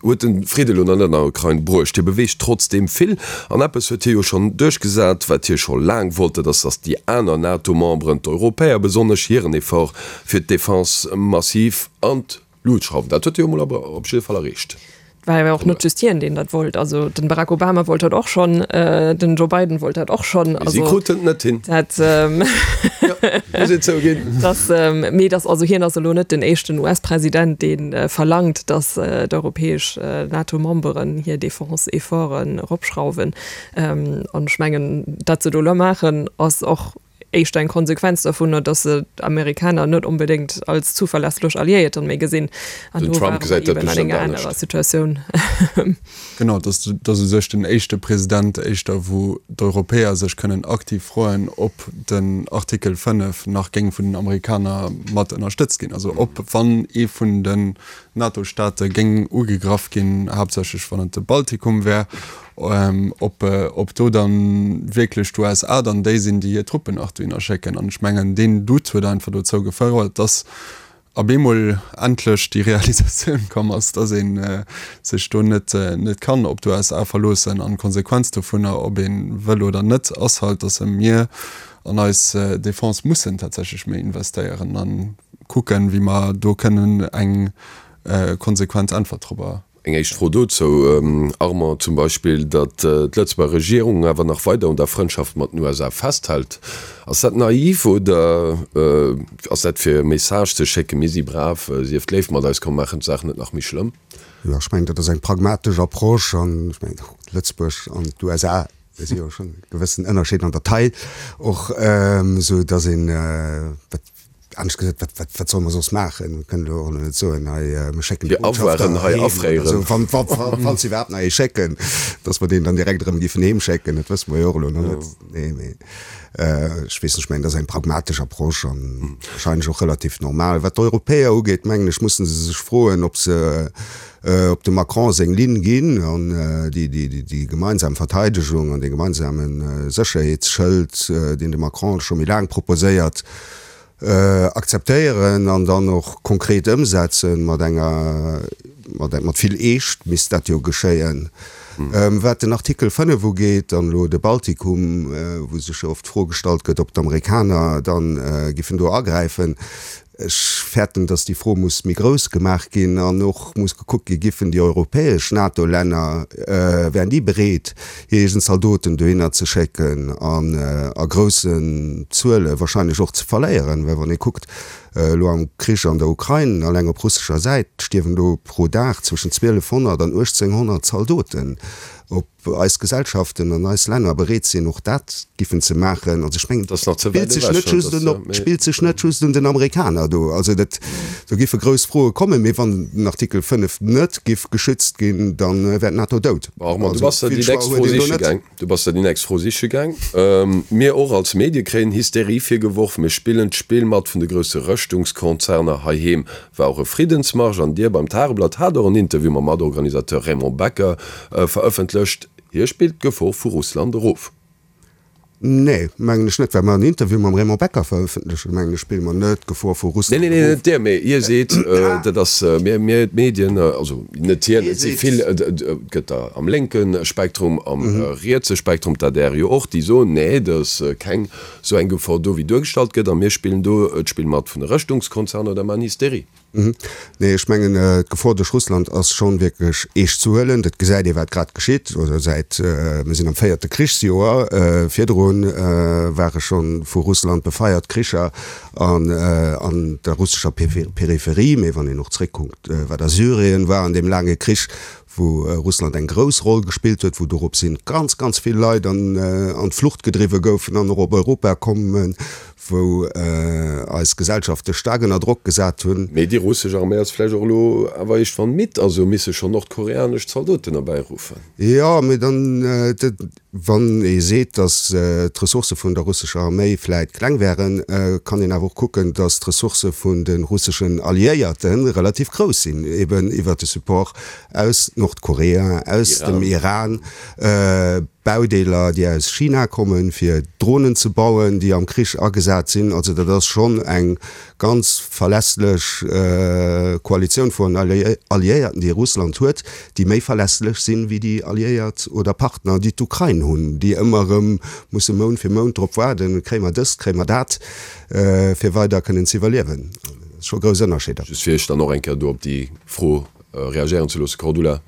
huet de Fridde elo nach net an der Ukrain bruecht, hie beweegt trotzdeem vill. An eppes huet hie jo schonn duerchgesat, wat hie scho laang wollt, dat ass, datt déi aner NATO-Memberen, d'Europäer besonnesch, hiren Effort fir d'Defense massiv an d'Lut schrauwen. Dat huet hie jo emol awer op jidde Fall erreecht. war jo och net just hien, deen dat wollt. Also den Barack Obama wollt dat och schonn, den Joe Biden wollt dat och schonn. Mee si kruten et net hin. Dat, muss een zouginn. Dass, mee dass, also hien ass elo net den éischten U S-President, dee verlangt, dass d'europäesch NATO-Memberen hir Defense-Efforten eropschrauwen. An ech mengen, dat se do elo maachen, ass och éischter eng Konsequenz dovunner, dass se d'Amerikaner net onbedéngt als zuverlässlech Alliéierter méi gesinn. An Den do Trump ware mer gesäit dat eben an bestemmt enger anescht. anerer Situatioun. Genau, dass dass u sech den éischte President éischter, wou d'Europäer sech kënnen aktiv froen, ob den Artikel fënnef nach géing vun den Amerikaner mat ënnerstëtzt ginn. Also ob, wann ee vun den NATO-Staate géing ugegraff ginn, haaptsächlech wann et de Baltikum wär, ob ob do dann wierklech d'U S A dann déi sinn, déi hir Truppen nach dohinner schécken. An ech mengen, deen Doute huet einfach dozou gefouert, dass op eemol endlech déi Realisatioun komm ass, dass ee sech do net net kann op d'U S A verloossen. An d'Konsequenz dovunner, ob ee wëll oder net, ass halt, dass mir an eis Defense mussen tatsächlech méi investéieren a kucken, wéi mer do kënnen eng konsequent Äntwert dorobber. Eng éischt Fro dozou, Armand, zum Beispill, datt d'Lëtzebuerger Regierung awer nach weider un der Frëndschaft mat den U S A festhält, ass dat naiv oder ass dat fir e Message ze schécken, mir si brav, sieft léif mat eis, komm maachen d'Saach net nach méi schlëmm? Jo, ech mengen, dat ass eng pragmatesch Approche an ech mengen, Lëtzebuerg an d'U S A, do si jo schonn e gewëssen Ënnerscheed an der Taille och, esou datt een, wat anescht gesot, wat, wat, wat solle mer soss maachen? Mir kënnen elo och net soen, hei, mir schécken de Fir Botschafter Avoiren hei heem oder afréieren. esou, wann, wa, wa, falls se iwwerhaapt nach ee schécken, dass mer deen dann direkt erëm géifen heem schécken, dat wësse mer jo och elo nach net. Nee, mee ech weess net, ech mengen, dat ass eng pragmatesch Approche an wahrscheinlech och relativ normal. Wat d'Europäer ugeet, mengen ech, musse se sech froen, ob se op dem Macron seng Linn ginn an déi, déi, déi, déi gemeinsam Verteidegung an dee gemeinsame Sécherheetsschëld, deen de Macron scho méi laang proposéiert, akzeptéieren an dann och konkret ëmsetzen mat enger, mat, mat vill Eescht misst dat jo geschéien. Wat den Artikel fënnef ugeet an elo de Baltikum, wou sech jo oft d'Fro gestallt gëtt, ob d'Amerikaner dann giffen do agräifen, ech fäerten, datt déi Fro muss méi grouss gemaach ginn an och muss gekuckt gi, giffen déi europäesch NATO-Länner, wären déi bereet, hir eegen Zaldoten dohinner ze schécken an a groussen Zuele wahrscheinlech och ze verléieren, well wann ee kuckt, elo am Krich an der Ukrain, alleng op russescher Säit stierwen do pro Dag zwëschen zwielefhonnert an uechtzénghonnert Zaldoten. Ob eis Gesellschaften an eis Länner bereet sinn, och dat giffen ze maachen. Also ech mengen, Dat ass nach ze spillt wäit sech ewech, net just dat un, ass, op, spillt sech net just un den Amerikaner do. Also dat, do giffe grouss Froe kommen. Mee wann den Artikel fënnef net giff geschützt ginn, dann wär d'NATO dout. Armand, du Also bass der vill déi Choix nächst huet Fro een do siche net. gaang. Du bass der déi nächst Fro siche gaang. Mir och als Medie kréien Hysterie virgeworf, mir spillen d'Spill mat vun de grousse Rëschtungskonzerner. Heiheem war och e Friddensmarsch an Dir beim Tageblatt hat och en Interview mam Matorganisateur Raymond Becker verëffentlecht. Hie spillt d'Gefor vu Russland erof. Nee, mengen ech net. Well mer en Interview mam Raymond Becker verëffentlechen, mengen ech, spille mer net d'Gefor vu Nee, Russland nee, nee, erof. net Dir, mee hie seet, dat ass mir, mir d'Medien, also net hien, et si vill, et gëtt der am lénke Spektrum, am rietse Spektrum, d'A D R jo och, déi soen, nee, et ass keng esou eng Gefor do, wéi duergestallt gëtt, a mir spillen do d'Spill mat vun de Rëschtungskonzerner oder maachen Hysterie. Nee, ech mengen, d'Gefor duerch Russland ass schonn wierklech eescht ze huelen. Dat gesäit ee wat grad geschitt, oder säit, mir sinn am véierte Krichsjoer, virdru ware schonn vu Russland befeiert Kricher an an der russescher Peripherie. Mee wann een och zréckkuckt, wat a Syrien war an deem laange Krich, wou Russland eng grouss Roll gespillt huet, wou dorops hin ganz, ganz vill Leit an an d'Flucht gedriwwe goufen an och op Europa kommen, wou eis Gesellschafte staark ënner Drock gesat hunn. Mee déi russesch Arméi ass vläicht och elo awer iergendwann midd a se hu misse schonn nordkoreanesch Zaldoten erbäiruffen. Jo, mee dann, wann ee seet, datt d'Ressourcë vun der russescher Arméi vläit kleng wären, kann een awer och kucken, datt d'Ressourcë vun de russeschen Alliéierte relativ grouss sinn, eben iwwert de Support aus Nordkorea, aus dem Iran, Baudeeler, déi aus China kommen, fir Dronen ze bauen, déi am Krich agesat sinn. Also dat ass schonn eng ganz verlässlech Koalitioun vun Alliéierten, déi Russland huet, déi méi verlässlech sinn, wéi déi Alliéiert oder Partner, déi d'Ukrain hunn, déi ëmmer erëm musse Mount fir Mount drop waarden, kréie mer dëst, kréie mer dat, fir weider kënnen ze iwwerliewen. Scho grouss Ënnerscheeder. Just fir Iech dann och eng Kéier do op déi Fro reagéieren ze loossen. Cordula,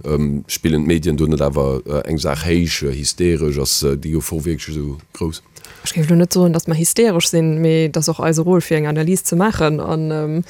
spillen d'Medien do net awer eng Saach héich, hysteresch? Ass déi Gefor wierklech esou grouss? Ech géif elo net soen, datt mer hysteresch sinn, mee et ass och eise Rôle fir eng Analys ze maachen an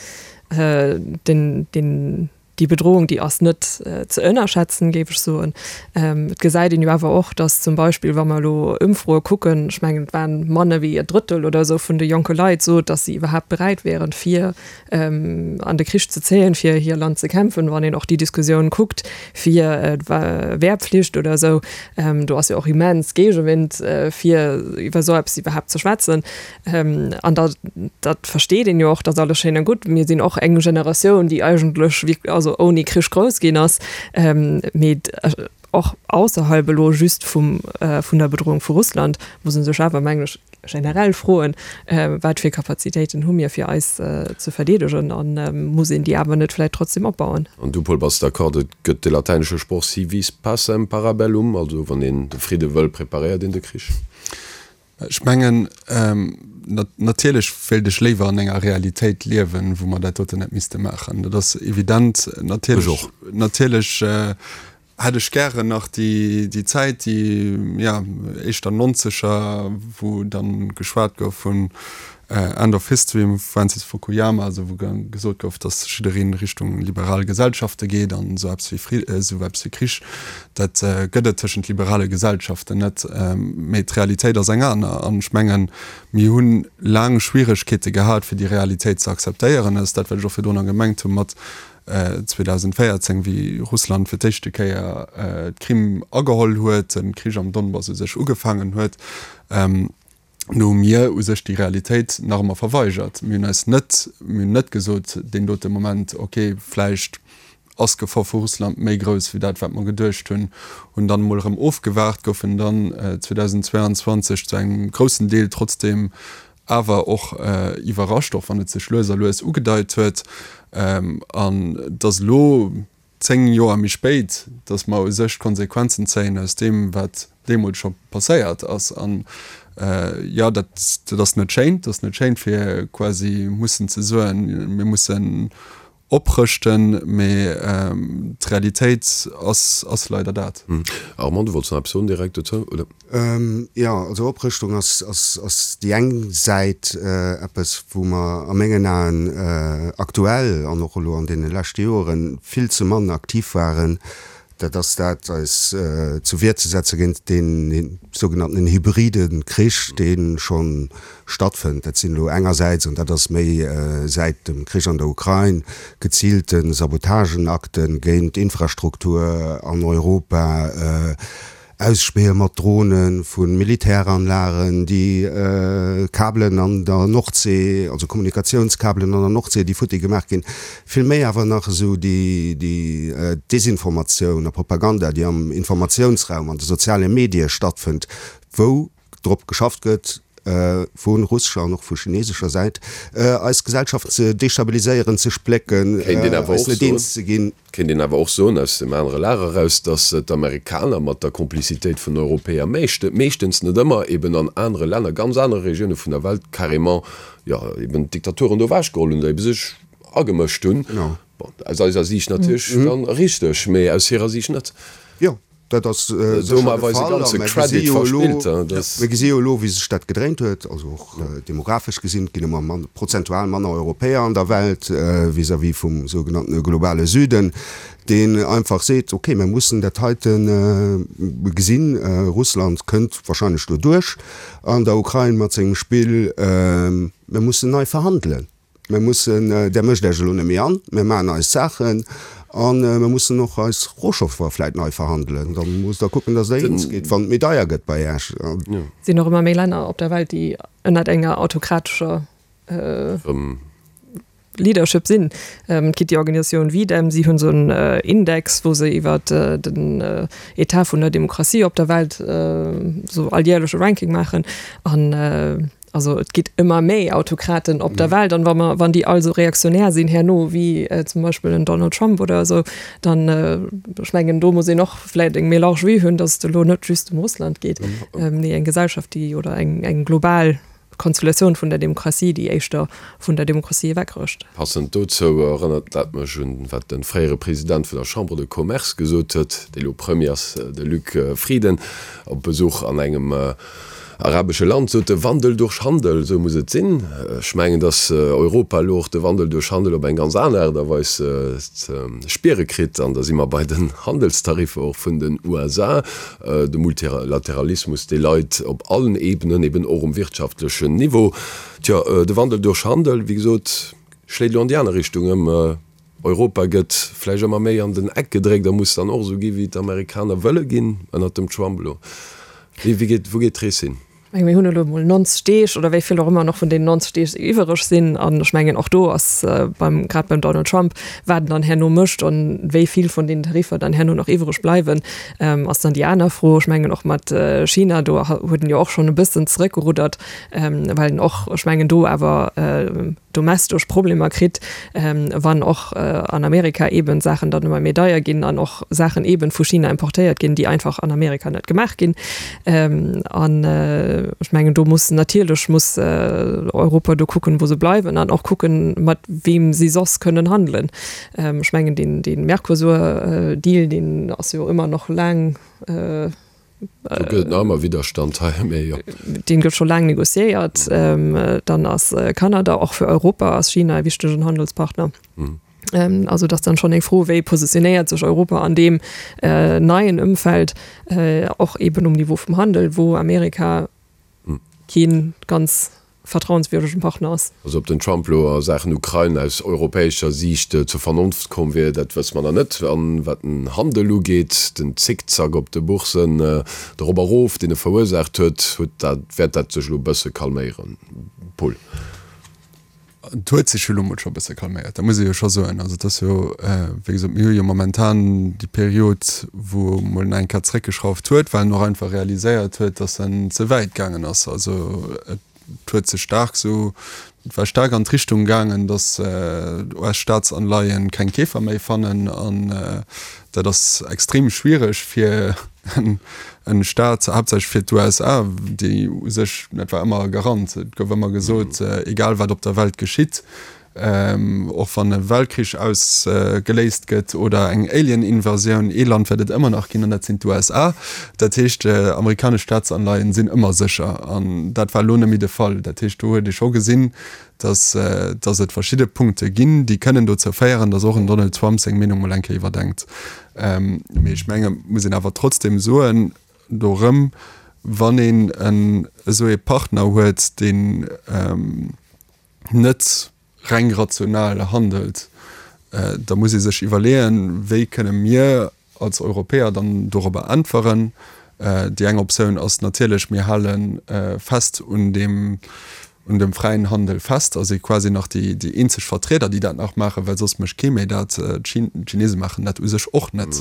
den, den, déi Bedrohung, déi ass net ze ënnerschätzen, géif ech soen. Et gesäit een jo awer och, datt zum Beispill, wa mer elo Ëmfroe kucken, ech mengen et waren manner wéi e Drëttel oder esou vun de jonke Leit sot, datt si iwwerhaapt beräit wären, fir an de Krich ze zéien, fir hir Land ze kämpfen. Wann een och déi Diskussioun kuckt fir d'Wehrpflicht oder esou, do ass jo och immens Géigewind, fir iwwer esou eppes iwwerhaapt ze schwätzen. An da, dat versteet een jo och, dat ass alles schéin a gutt. Mir sinn och eng Generatioun, déi eigentlech wierk-, also ouni Krich grouss ginn ass, mee och ausserhalb elo just vum, vun der Bedrohung vu Russland muss ee sech awer, mengen ech, generell froen, wat fir Kapazitéiten hu mir, fir eis ze verdeedegen, a muss een déi awer net vläicht trotzdem opbauen. An du, Paul, bass d'accord, et gëtt de latäinesche Sproch si vis pacem para bellum, also wann een de Fridde wëll, preparéiert een de Krich? Ech mengen, natierlech wéilt ech léiwer an enger Realitéit liewen, wou mer dat doten net misste maachen. Dat ass evident. Natierlech, Ech och. natierlech hätt ech gären nach déi, déi Zäit, déi, ja, éischter Nonzeger, wou dann geschwat gouf vun End of History vum Francis Fukuyama, also wou gesot gouf, datt jiddereen Richtung liberal Gesellschafte geet an esou eppes wéi Fri-, esou eppes wéi Krich, dat gëtt et tëschent liberale Gesellschaften net. Mee d'Realitéit ass eng aner an ech mengen, mir hu laang Schwieregkeete gehat, fir déi Realitéit ze akzeptéieren. Dat ass dat, wat ech och virdrunner gemengt hu mat zweedausendvéierzéng, wéi Russland fir d'éischte Kéier d'Krim ageholl huet, de Krich am Donbass u sech ugefaangen huet. No hu mir u sech déi Realitéit nach ëmmer verweigert. Mir hunn eis net, mir hunn net gesot deen dote Moment, okay, vläicht ass d'Gefor vu Russland méi grouss wéi dat, wat mer geduecht hunn, hunn dann emol erëm ofgewaart, goufen dann zweetausendzweianzwanzeg zu engem groussen Deel trotzdeem awer och iwwerrascht, och wann et sech lues a lues ugedeit huet. An et ass elo zéng Joer méi spéit, datt mer u sech d'Konsequenzen zéien aus deem, wat deemools scho passéiert ass. An jo, dat, dat ass net schéin. Dat ass net schéin, fir quasi mussen ze soen, mir mussen oprëschten, mee d'Realitéit ass, ass leider dat. Armand, du wollts nach eppes soen direkt dozou, oder? Jo, also Oprëschtung ass, ass, ass déi eng Säit, eppes, wou mer a mengen Aen aktuell an och elo an deene leschte Joren vill ze mann aktiv waren. Dat ass dat, eis zur Wier ze setze géint dee sougenanntenen hybride Krich, dee scho stattfënnt. Dat sinn elo engersäits, an dat ass méi säit dem Krich an der Ukrain, geziilte Sabotagenakte géint Infrastruktur an Europa, Ausspähe mat Drone vu Militäranlagen, déi Kabelen an der Nordsee, also Kommunikatiounskabelen an der Nordsee, déi futti gemaach ginn. Vill méi awer nach esou déi Desinformatioun a Propaganda, déi am Informatiounsraum, an de soziale Medie stattfënnt, wou drop geschafft gëtt, vu russescher an och vu chinesescher Säit, eis Gesellschaften ze destabiliséieren, ze splécken, eis net eens ze ginn. Kéint een awer och soen, aus dem anere Lager eraus, datt d'Amerikaner mat der Komplizitéit vun Europäer meeschtens, net ëmmer, eben an anere Länner, ganz anere Regioune vun der Welt carrément, jo, eben d'Diktaturen do ewechgeholl hunn oder ebe sech agemëscht hunn. Bon, aus eiser Siicht natierlech dann richteg, mee aus hirer Siicht net. Jo. Dat ass sécher de Fall. A mir gesi jo elo, mir gesi jo elo, wéi sech dat gedréint huet, also och demographesch gesinn, et ginn ëmmer mann, prozentual manner Europäer an der Welt vis-à-vis vum sougenanntene globale Süden, deen einfach seet, okay, mir mussen dat heite gesinn, Russland kënnt wahrscheinlech do duerch an der Ukrain mat sengem Spill, mir mussen nei verhandelen. Mir mussen, Där mécht Iech elo net méi an, mir maachen eis Saachen a mir mussen och eis Rohstoffer vläit nei verhandelen. Da musst Der kucken, datt Der eens gitt, wann et méi deier gëtt bei Iech. Et sinn och ëmmer méi Länner op der Welt, déi ënnert enger autokratescher Leadership sinn. Et gitt déi Organisatioun V-Dem, si hunn esou en Index, wou se iwwer den Etat vun der Demokratie op der Welt esou alljährlech e Ranking maachen. An Also et gitt ëmmer méi Autokraten op der Welt an wa mer, wann déi all esou reaktionär sinn herno wéi zum Beispill en Donald Trump oder esou, dann, ech mengen do muss een och vläicht eng méi large Vue hunn, datt et elo net just ëm Russland geet, mee eng Gesellschaft déi oder eng eng global Konstellatioun vun der Demokratie, déi éischter vun der Demokratie ewechrëscht. Passend dozou erënnert dat mech un, wat de fréiere President vun der Chambre de Commerce gesot huet, dee elo Premier ass, de Luc Frieden, op Besuch an engem arabesche Land, sot e, Wandel durch Handel, esou muss et sinn. Ech mengen, datt Europa elo och de Wandel duerch Handel op eng ganz aner Aart a Weis ze spiere kritt. An da si mer bei den Handelstariffer och vun den U S A. De Multilateralismus, dee leit op allen Ebenen, eben och um wirtschaftlechen Niveau. Tjo, de Wandel duerch Handel, wéi gesot, schléit elo an déi aner Richtung ëm. Europa gëtt vläicht ëmmer méi an den Eck gedréckt a muss dann och esou gi wéi d'Amerikaner wëlle ginn ënnert dem Trump elo. Wéi geet, wou geet d'Rees hin? Ech menge mir hunn elo emol neunzeg Deeg oder wéi vill och ëmmer nach vun deenen neunzeg Deeg iwwereg sinn. An ech mengen och do ass beim, grad beim Donald Trump, wat en dann herno mécht an wéi vill vun deenen Tariffer dann herno nach iwwereg bleiwen, ass dann déi aner Fro. Ech mengen och mat China, do huet en jo och schonn e bëssen zeréckgeruddert, well en och, ech mengen, do awer domestosch Problemer kritt, wann och an Amerika eeben Saachen dann ëmmer méi deier ginn an och Saachen eeben vu China importéiert ginn, déi einfach an Amerika net gemaach ginn. An ech mengen, do muss natierlech muss Europa do kucken, wou se bleiwen an och kucken, mat weem si soss kënnen handelen. Ech mengen, deen, deen Mercosur-Deal, deen ass jo ëmmer nach laang, Do gëtt et nach ëmmer Widderstand hei, mee jo. Deen gëtt scho laang negociéiert. Dann ass Kanada, och fir Europa ass China e wichtegen Handelspartner. Also et ass dann schonn eng Fro, wéi positionéiert sech Europa an deem neien Ëmfeld, och eeben um Niveau vum Handel, wou Amerika kee ganz vertrauenswürdegen Partner ass. Also ob den Trump elo a Saachen Ukrain aus europäescher Siicht zur Vernonft komm wier, dat wësse mer nach net. An wat den Handel ugeet, den Zickzack op de Boursen, de Rop a Rof, deen e verursaacht huet, huet dat, wäert dat sech elo e bësse calméieren. Paul. Et huet sech jo elo mol scho e bësse calméiert, dat muss ee jo scho soen. Also et ass jo, wéi gesot, mir hu jo momentan déi Period, wou e mol nach eng Kéier zréckgeschrauft huet, well en och einfach realiséiert huet, datt en ze wäit gaangen ass. Also et huet sech staark esou, et war staark an d'Richtung gaangen, datt U S-Staatsanleien keng Keefer méi fannen an dat ass extrem schwiereg fir en Staat, haaptsächlech fir d'U S A, déi u sech, dat war ëmmer e Garant, et gouf ëmmer gesot, egal wat op der Welt geschitt, och wann e Weltkrich ausgeléist gëtt oder eng Alien-Invasioun, ee Land wäert et ëmmer nach ginn, an dat sinn d'U S A. Dat heescht, amerikanesch Staatsanleien sinn ëmmer sécher. An dat war elo net méi de Fall. Dat heescht, do huet ee scho gesinn, dass dass et verschidde Punkte ginn, déi kënnen dozou féieren, dass och en Donald Trump seng Meenung mol eng Kéier iwwerdenkt. Mee ech menge muss een awer trotzdem soen, do erëm, wann een en esou ee Partner huet, deen net reng rational handelt, da muss ee sech iwwerleeën, wéi kënne mir als Europäer dann dorobber äntweren. Déi eng Optioun ass natierlech, mir hale fest un deem, un dem fräien Handel fest a si quasi nach déi, déi eenzeg Vertrieder, déi dat nach maachen, well soss mécht kee méi dat. D'Chinese maachen dat u sech och net.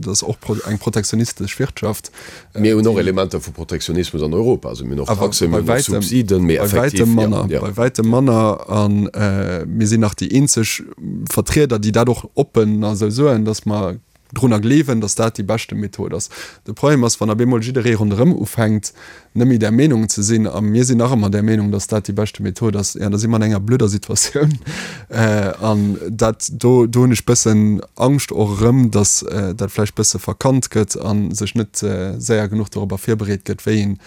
Dat ass och eng protektionistesch Wirtschaft. Mir hunn och Elementer vu Protektionismus an Europa, also mir hunn och Taxen, mir hunn och Subsiden, mee effektiv, jo, jo. Bei wäitem manner. A mir sinn nach déi eenzeg Vertrieder, déi dat och oppen esou soen, datt mer drunner gleewen, datt dat déi beschte Method ass. De Problem ass, wann op eemol jidderee ronderëm ufänkt, net méi där Meenung ze sinn, a mir sinn nach ëmmer där Meenung, datt dat déi beschte Method ass, jo, da si mer an enger blöder Situatioun. An dat, do, do hunn ech bëssen Angscht och erëm, datt dat vläicht bësse verkannt gëtt a sech net séier genuch dorobber virbereet gëtt, wéi een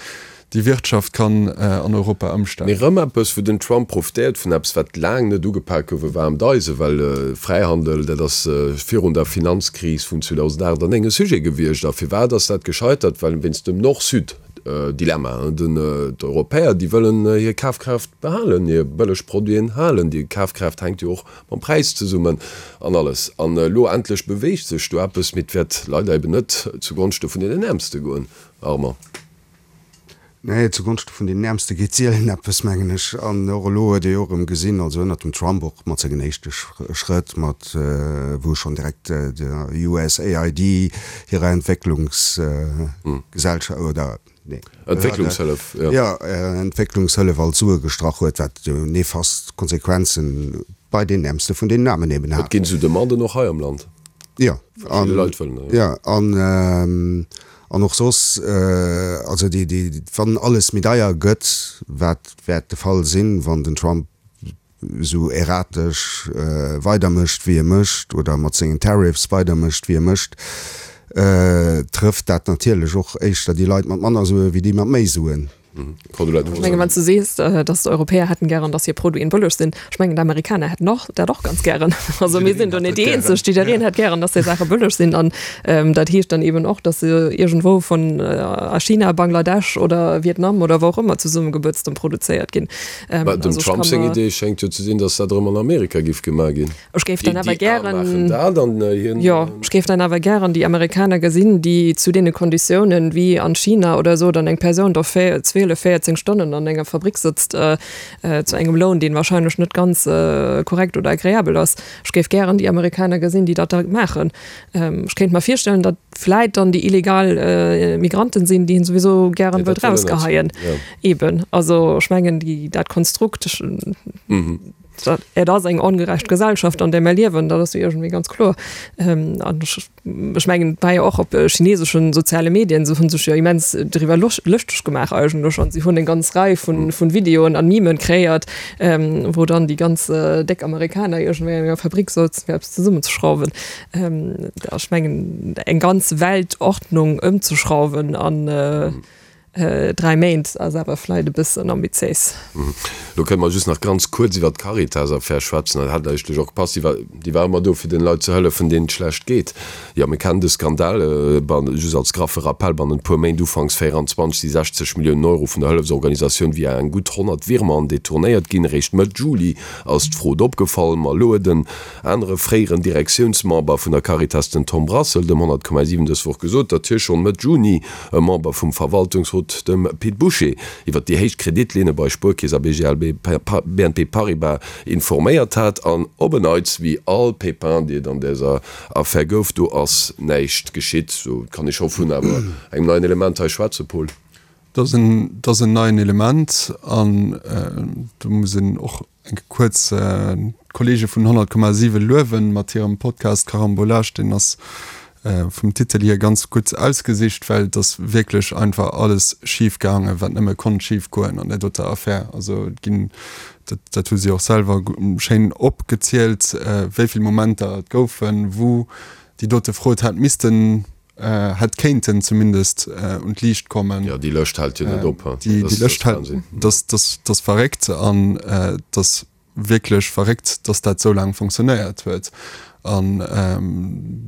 déi Wirtschaft kann an Europa ëmstellen. Mee rëm eppes, wou den Trump profitéiert vun eppes, wat laang net ugepak gouf, e waarmt Eisen, well Fräihandel, dat ass virun der Finanzkris vun zweedausendacht an néng e Sujet gewiescht. A firwat ass dat gescheitert? Well wéinst dem Nord-Süd-Dilemma. D'Europäer, déi wëllen hir Kafkraaft behalen, hir bëlleg Produiten halen. Déi Kafkraaft hänkt jo och mam Präis zesummen an alles. An elo endlech beweegt sech do eppes, mee et wäert leider eben net zugonschte vun deenen Äermste goen, Armand. Nee, zugonschte vun deenen Äermste geet sielen eppes, mengen ech. An och elo huet ee jo erëm gesinn, also ënnert dem Trump och mat sengen éischte Schrëtt, mat wou schonn direkt der U S A I D hirer Entwécklungsgesellschaft oder, nee, Entwécklungshëllef, jo. Jo, Entwécklungshëllef all d'Sue gestrach huet, wat jo nefast Konsequenzen bei deenen Äermste vun deenen Aarmen eben hat. Et ginn esou Demanden och hei am Land. Jo, an, jo, an, An och soss, also déi, déi, wann alles méi deier gëtt, wat wäert de Fall sinn, wann den Trump esou erratesch weidermécht wéi e mécht oder mat sengen Tariffs weidermécht wéi e mécht, trëfft dat natierlech och éischter déi Leit mat manner Sue wéi déi mat méi Suen. Ech mengen, wann s du sees, datt d'Europäer hätten gären, datt hir Produiten bëlleg sinn, ech mengen, d'Amerikaner hätten och dat och ganz gären. Also mir sinn do net déi Eenzeg, jiddereen hätt gären, datt hir Saache bëlleg sinn. An dat heescht dann eben och, datt se iergendwou vun a China, Bangladesch oder Vietnam oder wou och ëmmer zesummegebëtzt an produzéiert ginn. Mä dem Trump seng Idee schéngt jo ze sinn, datt dat erëm an Amerika giff gemaach ginn. Ech géif dann awer gären, jo, ech géif dann awer gären déi Amerikaner gesinn, déi zu deene Konditiounen wéi an China oder esou dann eng Persoun do zwielef, véierzéng Stonnen an enger Fabrik sëtzt, zu engem Loun, deen wahrscheinlech net ganz korrekt oder agreabel ass. Ech géif gären déi Amerikaner gesinn, déi dat da maachen. Ech kéint mer virstellen, datt vläit dann déi illegal Migranten sinn, déi een souwisou gären wëllt rausgeheien. Eben, also ech mengen, déi, dat Konstrukt, dat, et ass eng ongerecht Gesellschaft, an där mer liewen, dat ass jo iergendwéi ganz kloer. An ech, ech mengen, et war jo och op chineseschen soziale Medien, se hunn sech jo immens driwwer lëschteg gemaach eigentlech an si hunn eng ganz Rei vun, vun Videoen an Memen kreéiert, wou dann déi ganz déck Amerikaner iergendwéi an enger Fabrik souzen, fir eppes zesummenzeschrauwen. Ech mengen, eng ganz Weltordnung ëmzeschrauwen an dräi Méint ass awer vläit e bëssen ambitiéis. Lo kënne mer just nach ganz kuerz iwwer d'Caritas-Affär schwätzen. Dat hätt eigentlech och gepasst. Déi war, déi war ëmmer do, fir den Leit ze hëllefen, deenen et schlecht geet. Jo, mir kennen de Skandal. Just als graffe Rappel, Bannent e puer Méint, ufanks véieranzwanzeg, si sechzeg Milliounen Euro vun der Hëllefsorganisatioun via eng gutt honnert Virementen detournéiert ginn. Eréischt Mëtt Juli ass d'Frod opgefall. Ma elo huet en anere fréieren Direktiounsmember vun der Caritas, den Tom Brassel, dem honnert Komma siwen dës Woch gesot, datt hie schonn Mëtt Juni e Member vum Verwaltungsrot, dem Pit Bouché, iwwer déi héich Kreditlinne bei Spuerkeess a B N P Paribas informéiert hat. An op en Neits, wéi all Pépin, déi et an däser Affär gouf, do ass näischt geschitt. Sou kann ee scho vun awer engem neien Element hei schwätzen, Paul. Dat ass en, dat ass en neien Element an do muss een och eng kuerz d'Kollege vun honnert Komma siwe luewen mat hirem Podcast Carambolage, deen ass vum Titel hier ganz gutt ausgesicht, well et ass wierklech einfach alles schif gaangen, wat nëmme konnt schif goen an där doter Affär. Also et ginn, dat dat hu si och selwer schéin opgezielt, wéi vill Momenter et goufen, wou déi dote Frod hätt missten, hätt kéinten zumindest un d'Liicht kommen. Jo, déi Lëscht hält jo net op. Déi Lëscht hält, dat ass verréckt an et ass wierklech verréckt, dass dat esou laang fonctionnéiert huet. An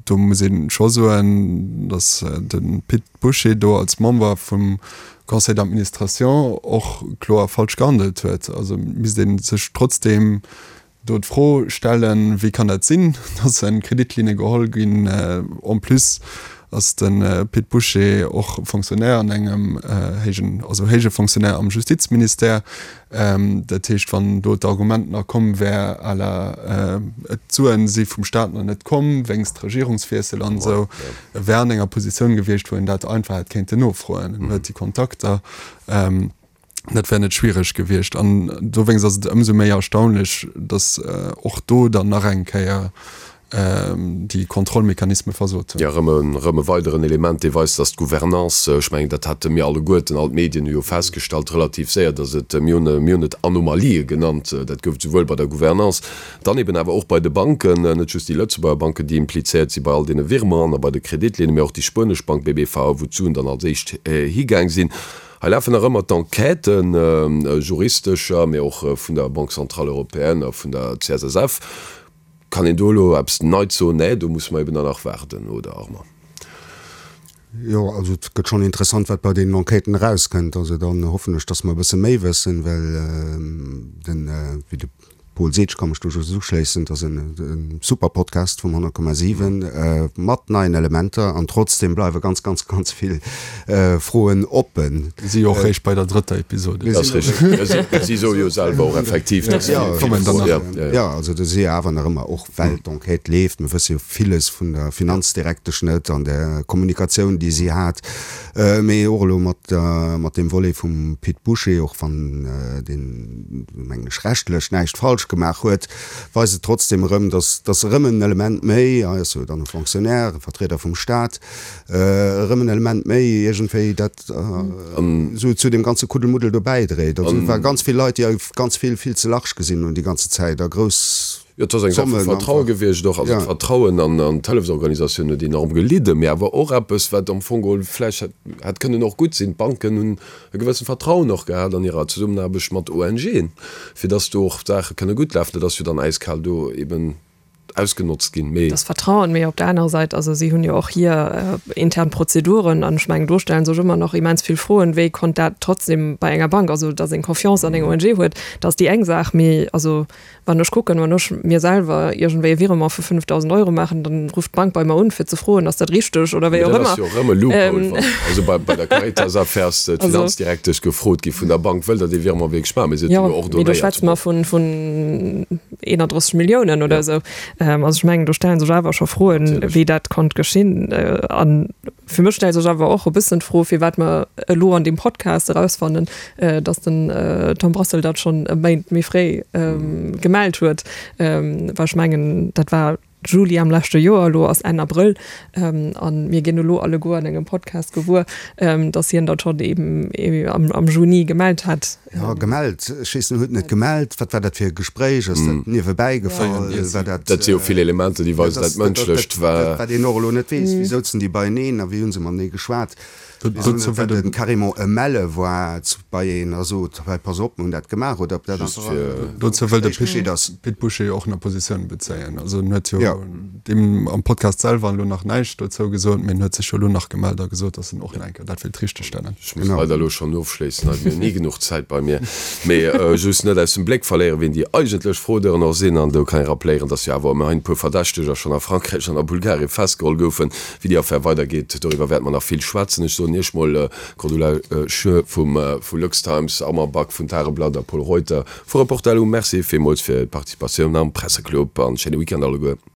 do muss ee scho soen, dass de Pit Bouché do als Member vum Conseil d'administration och kloer falsch gehandelt huet. Also misst ee sech trotzdeem do d'Fro stellen, Wéi kann dat sinn, dass Kreditlinne geholl ginn? En plus ass de Pit Bouché och Fonctionnaire an engem héijen, also héije Fonctionnaire am Justizministère. Dat heescht, wann do d'Argument nach komm wär à la d'Suen si vum Staat nach net komm wéinst Regierungswiessel an esou, e wär an enger Positioun gewiescht, wou en dat einfach hätt kéinten nofroen. En huet déi Kontakter. Dat wär net schwiereg gewiescht. An dowéinst ass et ëmsou méi erstaunlech, datt och do dann nach eng Kéier déi Kontrollmechanisme versot hunn. Jo, erëm e, erëm e weideren Element, dee weist, datt d'Gouvernance, ech mengen, dat hate mir alleguerten, all d'Medien hu jo festgestallt relativ séier, datt et, mir hunn, mir hunn et Anomalië genannt, dat gouf et souwuel bei der Gouvernance, dann eben awer och bei de Banken, net just déi Lëtzebuerger Banken, déi implizéiert si bei all deene Virementen a bei de Kreditlinnen, mä och déi spuenesch Bank B B V A, wou d'Suen dann als éischt higaang sinn. Hei lafen nach ëmmer d'Enquêten, juristescher, mä och vun der Banque centrale européenne a vun der C S S F. Kann een do elo eppes Neits soen? Nee, do musse mer eben dann nach waarden, oder Armand? Jo, also et gëtt schonn interessant, wat bei deenen Enquêten erauskënnt. Also dann hoffen ech, datt mer e bësse méi wëssen, well den, wéi de Paul seet, ech ka mech do just uschléissen, et ass e super Podcast vum honnert Komma siwen mat neien Elementer an trotzdem bleiwe ganz, ganz, ganz vill Froen oppen. Mir si jo och réischt bei der drëtter Episode. Dat ass richteg. Si soe jo selwer och effektiv, dass vill Froen, jo. Jo, also do si jo awer nach ëmmer, och well d'Enquête leeft, mir wësse jo villes vun der Finanzdirektesch net an der Kommunikatioun, déi si hat, mee och elo mat mat deem Volet vum Pit Bouché, och wann deen, mengen ech, rechtlech näischt falsch gemaach huet, weist et trotzdem erëm, dass, dass erëm en Element méi, hei ass jo dann e Fonctionnaire, e Vertrieder vum Staat, erëm en Element méi iergendwéi dat esou zu deem ganze Kuddelmuddel do bäidréit. Also et ware ganz vill Leit, déi ganz vill vill ze large gesinn hunn déi ganze Zäit a grouss Jo, et ass eng Saach vu Vertraue gewiescht och. Also d'Vertrauen an d'Hëllefsorganisatioun huet enorm gelidden, mee awer och eppes, wat am Fong geholl vläicht hätt kënnen och gutt sinn. D'Banken hunn e gewëssent Vertrauen och gehat an hirer Zesummenaarbecht mat ONGen, fir dass do och d'Saache kënne gutt lafen. Dat ass jo dann äiskal do eben ausgenotzt ginn. Mee. Das Vertrauen, mee op der anerer Säit, also si hunn jo och hir intern Prozeduren an ech mengen, do stelle sech ëmmer nach immens vill Froen, wéi konnt dat trotzdem bei enger Bank, also dass een Confiance an eng ONG huet, dat ass déi eng Saach, mee also wann ech kucken, wann ech mir selwer iergendwéi e Virement vu fënnefdausend Euro maachen, dann rufft d'Bank bei mer un, fir ze froen, ass dat richteg oder wéi Mee och dat ass ëmmer. jo erëm e Loophole, wann, also bei, bei der Caritas-Affär ass d'Finanzdirektesch gefrot gi vun der Bank, wëllt Der dee Virement wierklech maachen? Mee si huet Jo, jo mee do ordonnéiert. schwätze mer vun, vun eenanddrësseg Milliounen oder Ja. esou. Also ech mengen, do stelle sech awer scho Froen, Natierlech. wéi dat konnt geschinn. An fir mech stellt sech awer och e bëssen d'Fro, firwat mer elo an deem Podcast erausfannen, datt den Tom Brassel dat schonn e Méint méi fréi gemellt huet. Well ech mengen, dat war Juli am leschte Joer, elo ass Enn Abrëll, a mir ginn elo alleguer an engem Podcast gewuer, datt hien dat schonn eben am Juni gemellt hat. Jo, gemellt, ech weess net, huet en et gemellt? Wat war dat fir e Gespréich? Ass dat niewebäi gefall? War dat. Dat si jo vill Elementer, déi weisen, dat Mënschlecht war. Wat een och elo net weess, wéi souzen déi beieneen a wéi hu se matenee geschwat? Dozou wëll den carrément e Melle war bei een a sot, hei pass op, mir hunn dat gemaach, oder ob dat einfach e Dozou wëll de Gespréich geschitt ass. Pit Bouché och nach Positioun bezéien. Also en huet jo deem am Podcast selwer elo nach näischt dozou gesot, mee en huet sech jo elo nach gemellt a gesot, datt en och nach eng Kéier dat wéilt richtegstellen. Ech muss leider elo schonn ofschléissen, hei, mir hunn ni genuch Zäit bei mir. Mee just net aus dem Bléck verléieren, wien déi eigentlech Fraudeuren och sinn. An do kann ee rappléieren, datt jo awer ëmmerhin e puer Verdächteger schonn a Frankräich an a Bulgarien festgeholl goufen. Wéi déi Affär weidergeet, doriwwer wäerte mer nach vill schwätzen. Ech soen Iech mol Cordula Schör vum vu LuxTimes, Armand Back vun Tageblatt a Pol Reuter vu Reporterlo Merci villmools fir d'Participatioun am Presseclub an schéine Weekend alleguer.